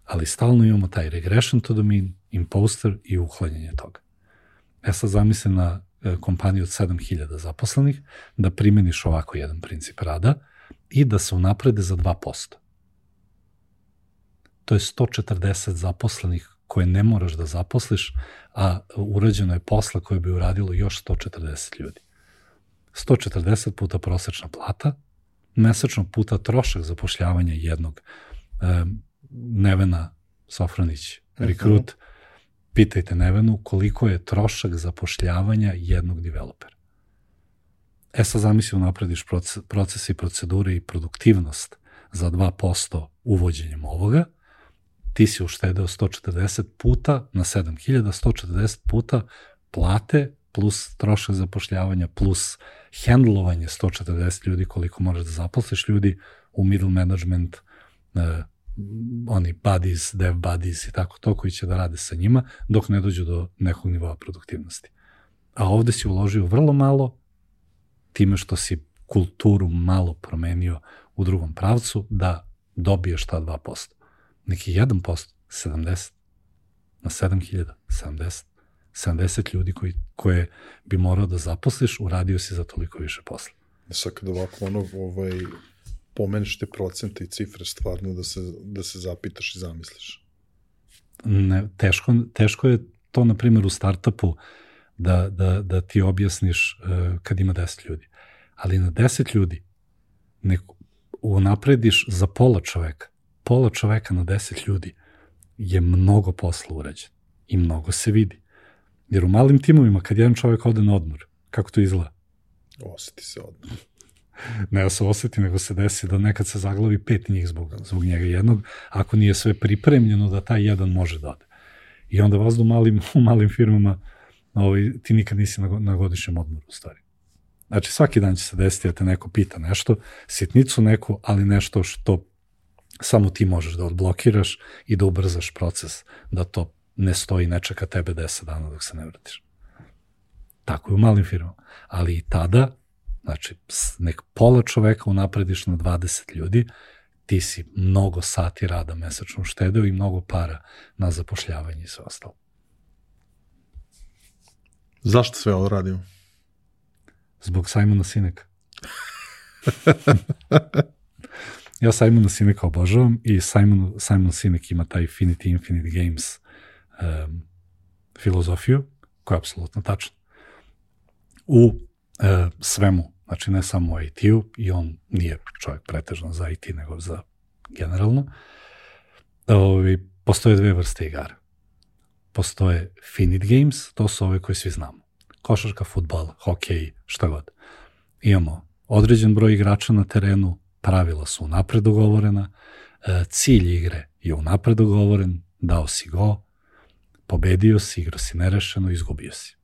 Ali stalno imamo taj regression to the mean, imposter i uklanjanje toga. Sad zamislim na kompaniju od 7000 zaposlenih, da primeniš ovako jedan princip rada i da se unaprede za 2%. To je 140 zaposlenih koje ne moraš da zaposliš, a urađeno je posla koje bi uradilo još 140 ljudi. 140 puta prosečna plata, mesečno puta trošak zapošljavanja jednog. Nevena Sofronić, rekrut, pitajte Nevenu koliko je trošak zapošljavanja jednog developera. Sad zamisli naprediš procese i procedure i produktivnost za 2% uvođenjem ovoga, ti si uštedeo 140 puta na 7000, 140 puta plate plus trošak zapošljavanja plus handlovanje 140 ljudi koliko moraš da zaposliš ljudi u middle management, oni buddies, dev buddies i tako to koji će da rade sa njima dok ne dođu do nekog nivoa produktivnosti. A ovde si uložio vrlo malo time što si kulturu malo promenio u drugom pravcu da dobiješ ta 2%. Neki 1%, 70, na 7000, 70 ljudi koje bi morao da zaposliš, uradio si za toliko više posla. Sad kad ovako pomeniš te procente i cifre stvarno da se zapitaš i zamisliš. Ne, teško je to, na primjer, u startupu da ti objasniš kad ima 10 ljudi. Ali na 10 ljudi unaprediš za pola čoveka. Pola čoveka na 10 ljudi je mnogo posla urađen i mnogo se vidi. Jer u malim timovima, kad jedan čovek ode na odmor, kako to izgleda? Osjeti se odmor. Ne da se osjeti, nego se desi da nekad se zaglavi 5 njih zbog njega jednog, ako nije sve pripremljeno da taj jedan može da ode. I onda vas u malim firmama ti nikad nisi na godišnjem odmoru, u stvari. Znači, svaki dan će se desiti da te neko pita nešto, sitnicu neku, ali nešto što samo ti možeš da odblokiraš i da ubrzaš proces, da to ne stoji, ne čeka tebe 10 dana dok se ne vratiš. Tako je u malim firmama. Ali i tada, znači, nek pola čoveka unaprediš na 20 ljudi, ti si mnogo sati rada mesečno uštedeo i mnogo para na zapošljavanje i sve ostalo. Zašto sve ovo radimo? Zbog Simona Sineka. Ja Simona Sineka obožavam i Simon Sinek ima taj Infinite Games filozofiju, koja je apsolutno tačna. U svemu, znači ne samo u IT-u, i on nije čovjek pretežno za IT, nego za generalno, postoje dve vrste igara. Postoje finite games, to su ove koje svi znamo. Košarka, fudbal, hokej, šta god. Imamo određen broj igrača na terenu, pravila su unapred dogovorena, cilj igre je unapred dogovoren, dao si go, pobedio si, igrao si nerešeno, izgubio si.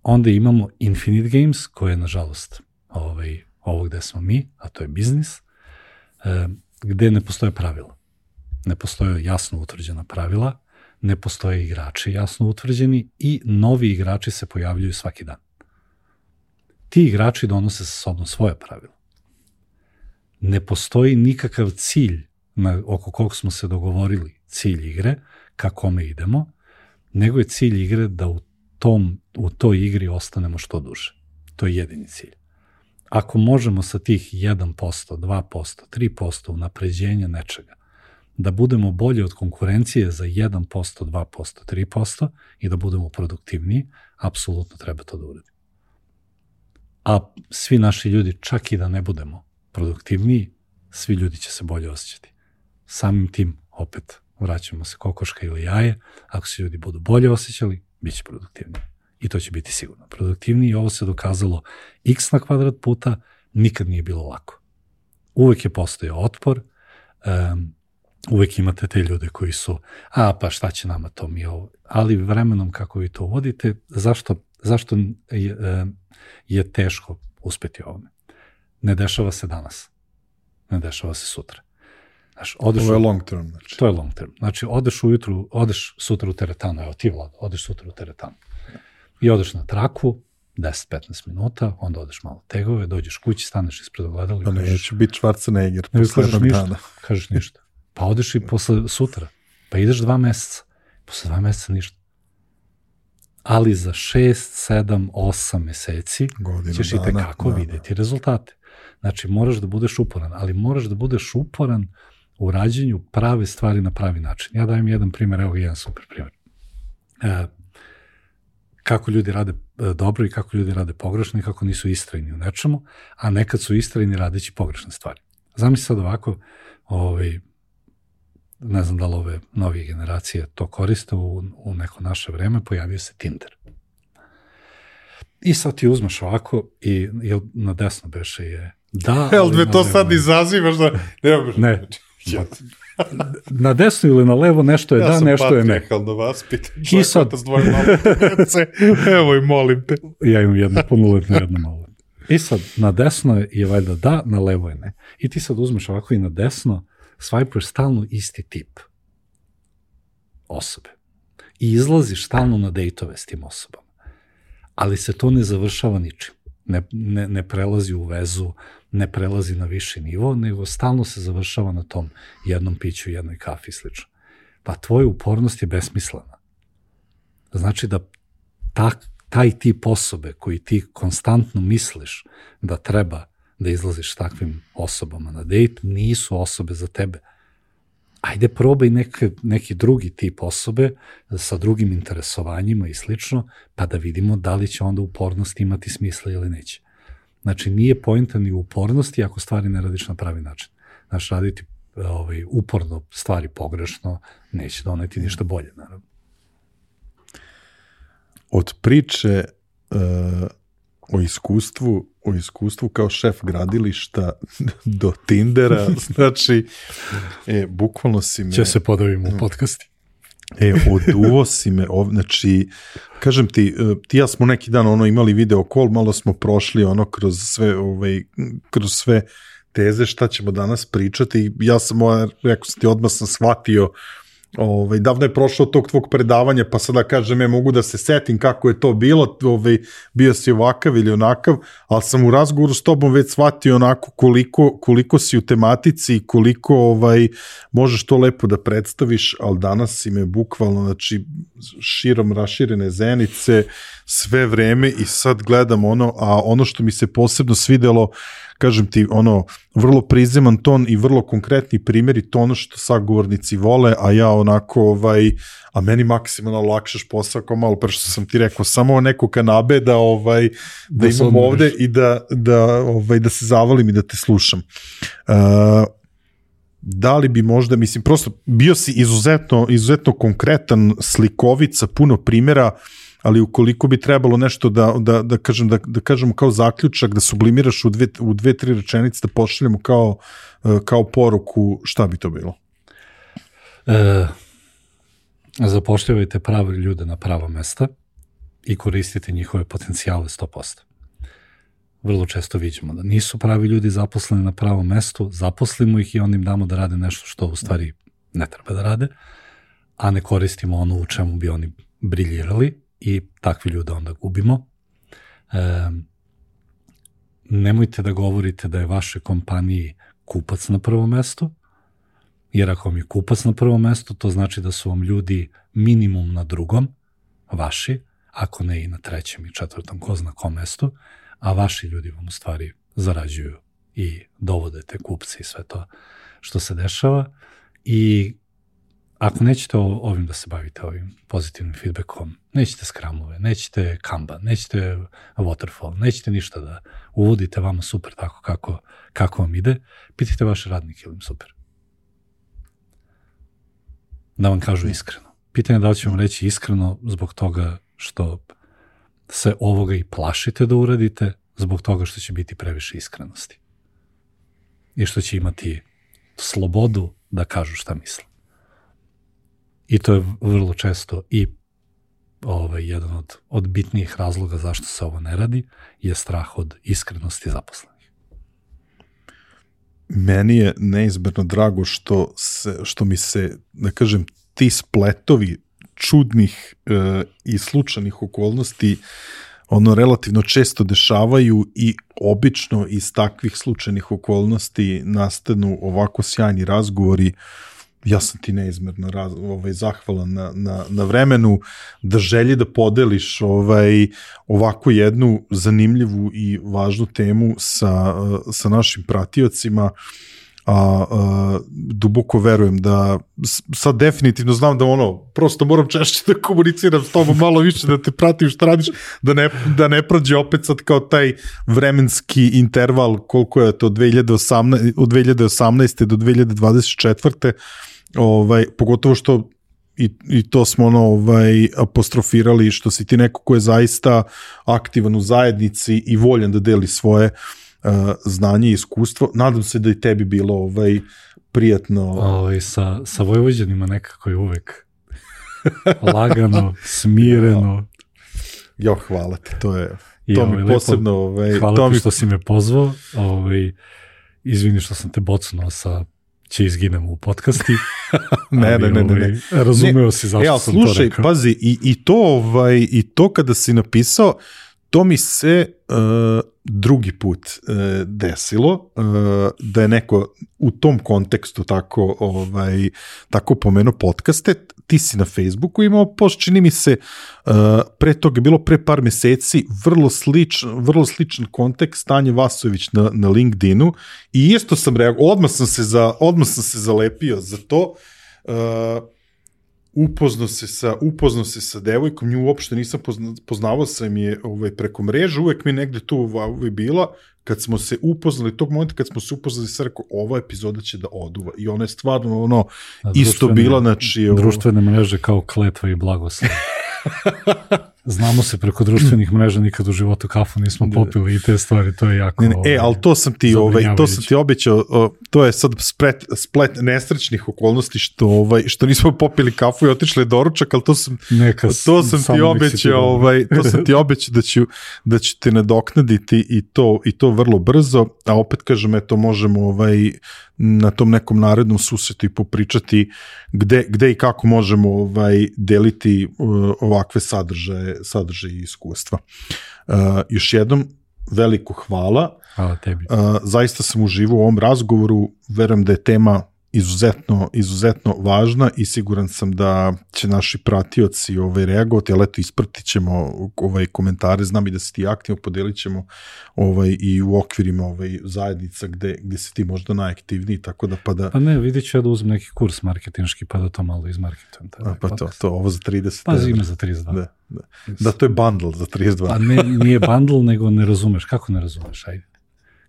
Onda imamo infinite games, koje je, nažalost, ovo gde smo mi, a to je biznis, gde ne postoje pravila. Ne postoje jasno utvrđena pravila, ne postoje igrači jasno utvrđeni i novi igrači se pojavljuju svaki dan. Ti igrači donose sa sobom svoje pravila. Ne postoji nikakav cilj oko kog smo se dogovorili, cilj igre, ka kome idemo, nego je cilj igre da u toj igri ostanemo što duže. To je jedini cilj. Ako možemo sa tih 1%, 2%, 3% unapređenja nečega, da budemo bolji od konkurencije za 1%, 2%, 3% i da budemo produktivniji, apsolutno treba to da uradimo. A svi naši ljudi, čak i da ne budemo produktivniji, svi ljudi će se bolje osjećati. Samim tim, opet, vraćamo se kokoška ili jaje, ako se ljudi budu bolje osjećali, bit će produktivniji. i to će biti sigurno produktivniji i ovo se dokazalo x na kvadrat puta, nikad nije bilo lako. Uvek je postojao otpor, uvek imate te ljude koji su, pa šta će nama to mi ovo, ali vremenom kako vi to uvodite, zašto je teško uspeti ovome? Ne dešava se danas, ne dešava se sutra. Znaš, ovo je long term. Znači. To je long term. Znači, odeš sutra u teretanu, evo ti Vlad, odeš sutra u teretanu i odeš na traku, 10-15 minuta, onda odeš malo tegove, dođeš kući, staneš ispred ogledala i kažeš... Neće biti Schwarzenegger posle jednog dana. Kažeš ništa. Pa odeš i posle sutra. Pa ideš 2 meseca. Posle 2 meseca ništa. Ali za 6, 7, 8 meseci ćeš i tekako vidjeti rezultate. Znači, moraš da budeš uporan, ali moraš da budeš uporan u rađenju prave stvari na pravi način. Ja dajem jedan primjer, evo jedan super primjer. Kako ljudi rade dobro i kako ljudi rade pogrešno i kako nisu istrajni u nečemu, a nekad su istrajni radeći pogrešne stvari. Zamisli sad ovako, ne znam da li ove novije generacije to koriste, u neko naše vreme pojavio se Tinder. I sad ti uzmeš ovako i na desno beše je da... Jel me to sad izazivaš da... Ne. Na desno ili na levo nešto je nešto je ne. Ja sam patrijarhalno vaspitan. I sad... Evo i molim te. Ja imam jednu punoletnu, jednu maloletnu. I sad na desno je valjda da, na levo je ne. I ti sad uzmeš ovako i na desno svajpuješ stalno isti tip osobe. I izlaziš stalno na dejtove s tim osobama. Ali se to ne završava ničim. Ne prelazi u vezu, ne prelazi na viši nivo, nego stalno se završava na tom jednom piću, jednoj kafi i slično. Pa tvoja upornost je besmislena. Znači da taj tip osobe koji ti konstantno misliš da treba da izlaziš s takvim osobama na dejt, nisu osobe za tebe. Ajde probaj neki drugi tip osobe sa drugim interesovanjima i slično, pa da vidimo da li će onda upornost imati smisla ili neće. Znači, nije poenta ni u upornosti ako stvari ne radiš na pravi način. Znači, raditi uporno stvari pogrešno neće doneti ništa bolje, naravno. Od priče o iskustvu kao šef gradilišta do Tindera, znači, bukvalno si me... Će se podavimo u podcasti. Oduvo si me, znači, kažem ti, ja smo neki dan imali video call, malo smo prošli kroz sve teze šta ćemo danas pričati, ja sam, rekao sam ti, odmah sam shvatio, davno je prošlo tog tvog predavanja, pa sada kažem, mogu da se setim kako je to bilo, bio si ovakav ili onakav, ali sam u razgovoru s tobom već shvatio onako koliko si u tematici i koliko možeš to lepo da predstaviš, ali danas si me bukvalno, znači, širom raširene zenice, sve vreme i sad gledam a ono što mi se posebno svidelo, kažem ti, vrlo prizeman ton i vrlo konkretni primjeri, to ono što sagovornici vole, a ja onako, a meni maksimalno lakšaš posao, kao malo pre što sam ti rekao, samo neko kanabe da imam ovde i da se zavalim i da te slušam. Da li bi možda, mislim, prosto bio si izuzetno konkretan, slikovica, puno primjera, ali ukoliko bi trebalo nešto da kažemo kao zaključak, da sublimiraš u 2-3 rečenice, da pošaljemo kao poruku, šta bi to bilo? Zapošljavajte prave ljude na prava mesta i koristite njihove potencijale 100%. Vrlo često vidimo da nisu pravi ljudi zaposleni na pravom mestu, zaposlimo ih i onda im damo da rade nešto što u stvari ne treba da rade, a ne koristimo ono u čemu bi oni briljirali, i takvi ljude onda gubimo. Nemojte da govorite da je vašoj kompaniji kupac na prvom mestu, jer ako vam je kupac na prvom mestu, to znači da su vam ljudi minimum na drugom, vaši, ako ne i na trećem i četvrtom, ko zna kom mestu, a vaši ljudi vam u stvari zarađuju i dovode te kupce i sve to što se dešava. I ako nećete ovim da se bavite, ovim pozitivnim feedbackom, nećete skramove, nećete Kanban, nećete waterfall, nećete ništa da uvodite vama super tako kako vam ide, pitajte vaše radnike ili im super. Da vam kažu iskreno. Pitanje je da li ću vam reći iskreno zbog toga što se ovoga i plašite da uradite zbog toga što će biti previše iskrenosti. I što će imati slobodu da kažu šta misle. I to je vrlo često i jedan od bitnijih razloga zašto se ovo ne radi je strah od iskrenosti zaposlenih. Meni je neizmerno drago što mi se, da kažem, ti spletovi čudnih i slučajnih okolnosti relativno često dešavaju i obično iz takvih slučajnih okolnosti nastanu ovako sjajni razgovori. Ja sam ti neizmerno zahvalan na vremenu, da želji da podeliš ovako jednu zanimljivu i važnu temu sa našim pratiocima, a duboko verujem da sad definitivno znam da prosto moram češće da komuniciram s tobom, malo više da te pratim šta radiš, da ne prođe opet sad kao taj vremenski interval koliko je to od 2018. do 2024. Pogotovo što i to smo apostrofirali, što si ti neko ko je zaista aktivan u zajednici i voljan da deli svoje znanje i iskustvo. Nadam se da i tebi bilo prijatno. Sa Vojvođanima nekako je uvek lagano, smireno. Jo, hvala ti, to mi posebno... Hvala ti što si me pozvao. Izvini što sam te bocnuo će izginemo u podcasti. Ne. Razumeo si zašto sam to rekao. Slušaj, pazi, i to kada si napisao, to mi se drugi put desilo, da je neko u tom kontekstu tako pomenuo podcaste. Ti si na Facebooku imao post, čini mi se, pre toga je bilo pre par meseci, vrlo sličan kontekst, Stanje Vasojević na LinkedInu, i isto sam reagovao, odmah sam se zalepio za to. Upoznao se sa devojkom, nju uopšte nisam poznavao, sam je preko mreže, uvek mi negde tu bila, kad smo se upoznali, tog momenta kad smo se upoznali, sam rekao, ova epizoda će da oduva, i ona je stvarno isto bila, znači... Društvene mreže kao kletva i blagoslov. Znamo se preko društvenih mreža, nikad u životu kafu nismo popili i te stvari, to je jako... ali to sam ti obećao, to je sad splet nesrećnih okolnosti što nismo popili kafu i otišli doručak, ali to sam ti obećao da ću te nadoknaditi i to vrlo brzo, a opet kažem, možemo na tom nekom narednom susretu i popričati gde i kako možemo deliti ovakve sadržaje i iskustva. Još jednom veliko hvala. Hvala tebi. Zaista sam uživao u ovom razgovoru, verujem da je tema izuzetno važna i siguran sam da će naši pratioci reagovati, ali eto, ispratit ćemo komentare, znam i da si ti aktivno, podelit ćemo i u okvirima zajednica gde si ti možda najaktivniji, tako da Pa ne, vidit ću ja da uzmem neki kurs marketinški, pa da to malo izmarketujem. Pa to, ovo za 30. Pa zime za 32. Da, to je bundle za 32. Pa nije bundle, nego ne razumeš. Kako ne razumeš, ajde?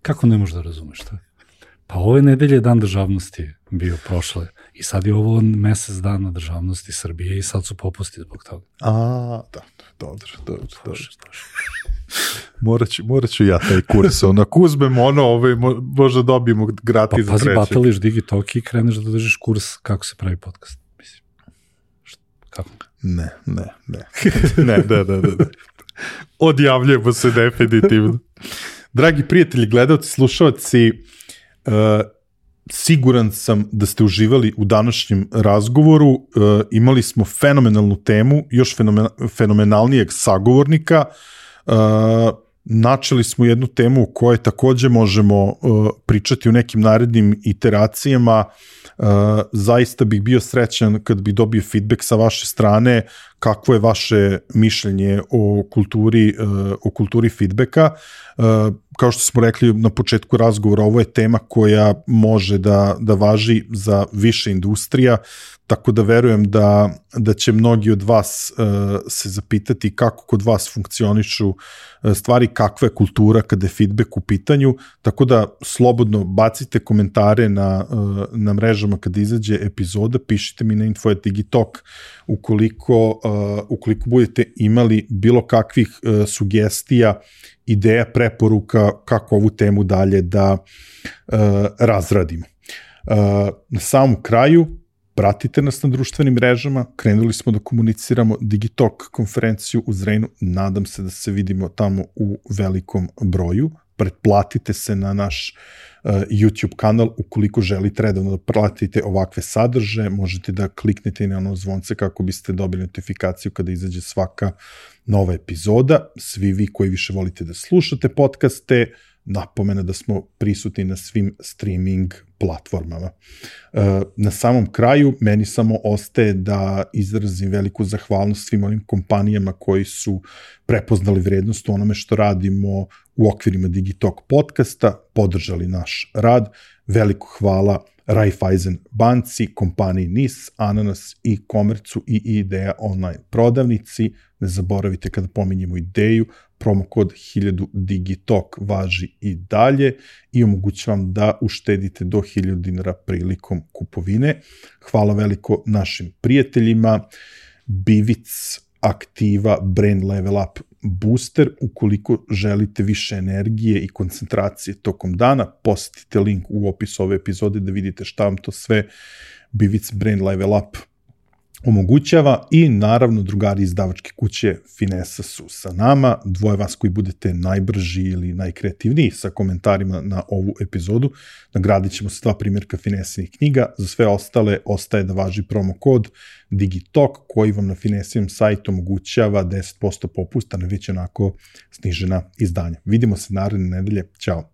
Kako ne možeš da razumeš to? Pa ove nedelje je dan državnosti bio prošle i sad je ovo mesec dana državnosti Srbije i sad su popusti zbog toga. Da, dobro. Morat ću ja taj kurs, ako uzmem možda dobijemo gratis za treći. Pa pazi, batališ Digitalk i kreneš da držiš kurs kako se pravi podcast. Mislim, kako? Ne. Odjavljujemo se definitivno. Dragi prijatelji, gledalci, slušalci, siguran sam da ste uživali u današnjem razgovoru. Imali smo fenomenalnu temu, još fenomenalnijeg sagovornika. Načeli smo jednu temu o kojoj takođe možemo pričati u nekim narednim iteracijama. Zaista bih bio srećan kad bih dobio feedback sa vaše strane, kakvo je vaše mišljenje o kulturi feedbacka. kao što smo rekli na početku razgovora, ovo je tema koja može da važi za više industrija, tako da verujem da će mnogi od vas se zapitati kako kod vas funkcionišu stvari, kakva je kultura kada je feedback u pitanju, tako da slobodno bacite komentare na mrežama kada izađe epizoda, pišite mi na info@digitalk ukoliko budete imali bilo kakvih sugestija, ideja, preporuka kako ovu temu dalje da razradimo. Na samom kraju, pratite nas na društvenim mrežama, krenuli smo da komuniciramo Digitalk konferenciju u Zrenju, nadam se da se vidimo tamo u velikom broju, pretplatite se na naš YouTube kanal, ukoliko želite redovno da pratite ovakve sadržaje, možete da kliknete i na ono zvonce kako biste dobili notifikaciju kada izađe svaka nova epizoda. Svi vi koji više volite da slušate podcaste, napomena da smo prisutni na svim streaming platformama. Na samom kraju, meni samo ostaje da izrazim veliku zahvalnost svim onim kompanijama koji su prepoznali vrednost u onome što radimo u okvirima Digitalk podcasta, podržali naš rad. Veliko hvala Raiffeisen banci, kompaniji NIS, Ananas i Komercu i Ideja online prodavnici. Ne zaboravite kada pominjemo Ideju, promokod 1000 Digitalk važi i dalje i omogućavam da uštedite do 1000 dinara prilikom kupovine. Hvala veliko našim prijateljima, Bivic, Aktiva, Brain Level Up Booster. Ukoliko želite više energije i koncentracije tokom dana, posetite link u opisu ove epizode da vidite šta vam to sve Bivic Brain Level Up omogućava i naravno drugari izdavačke kuće Finesa su sa nama. Dvoje vas koji budete najbrži ili najkreativniji sa komentarima na ovu epizodu, nagradit ćemo se 2 primjerka Finesinih knjiga. Za sve ostale ostaje da važi promo kod Digitalk koji vam na Finesinom sajtu omogućava 10% popusta na već onako snižena izdanja. Vidimo se naredne nedelje. Ćao!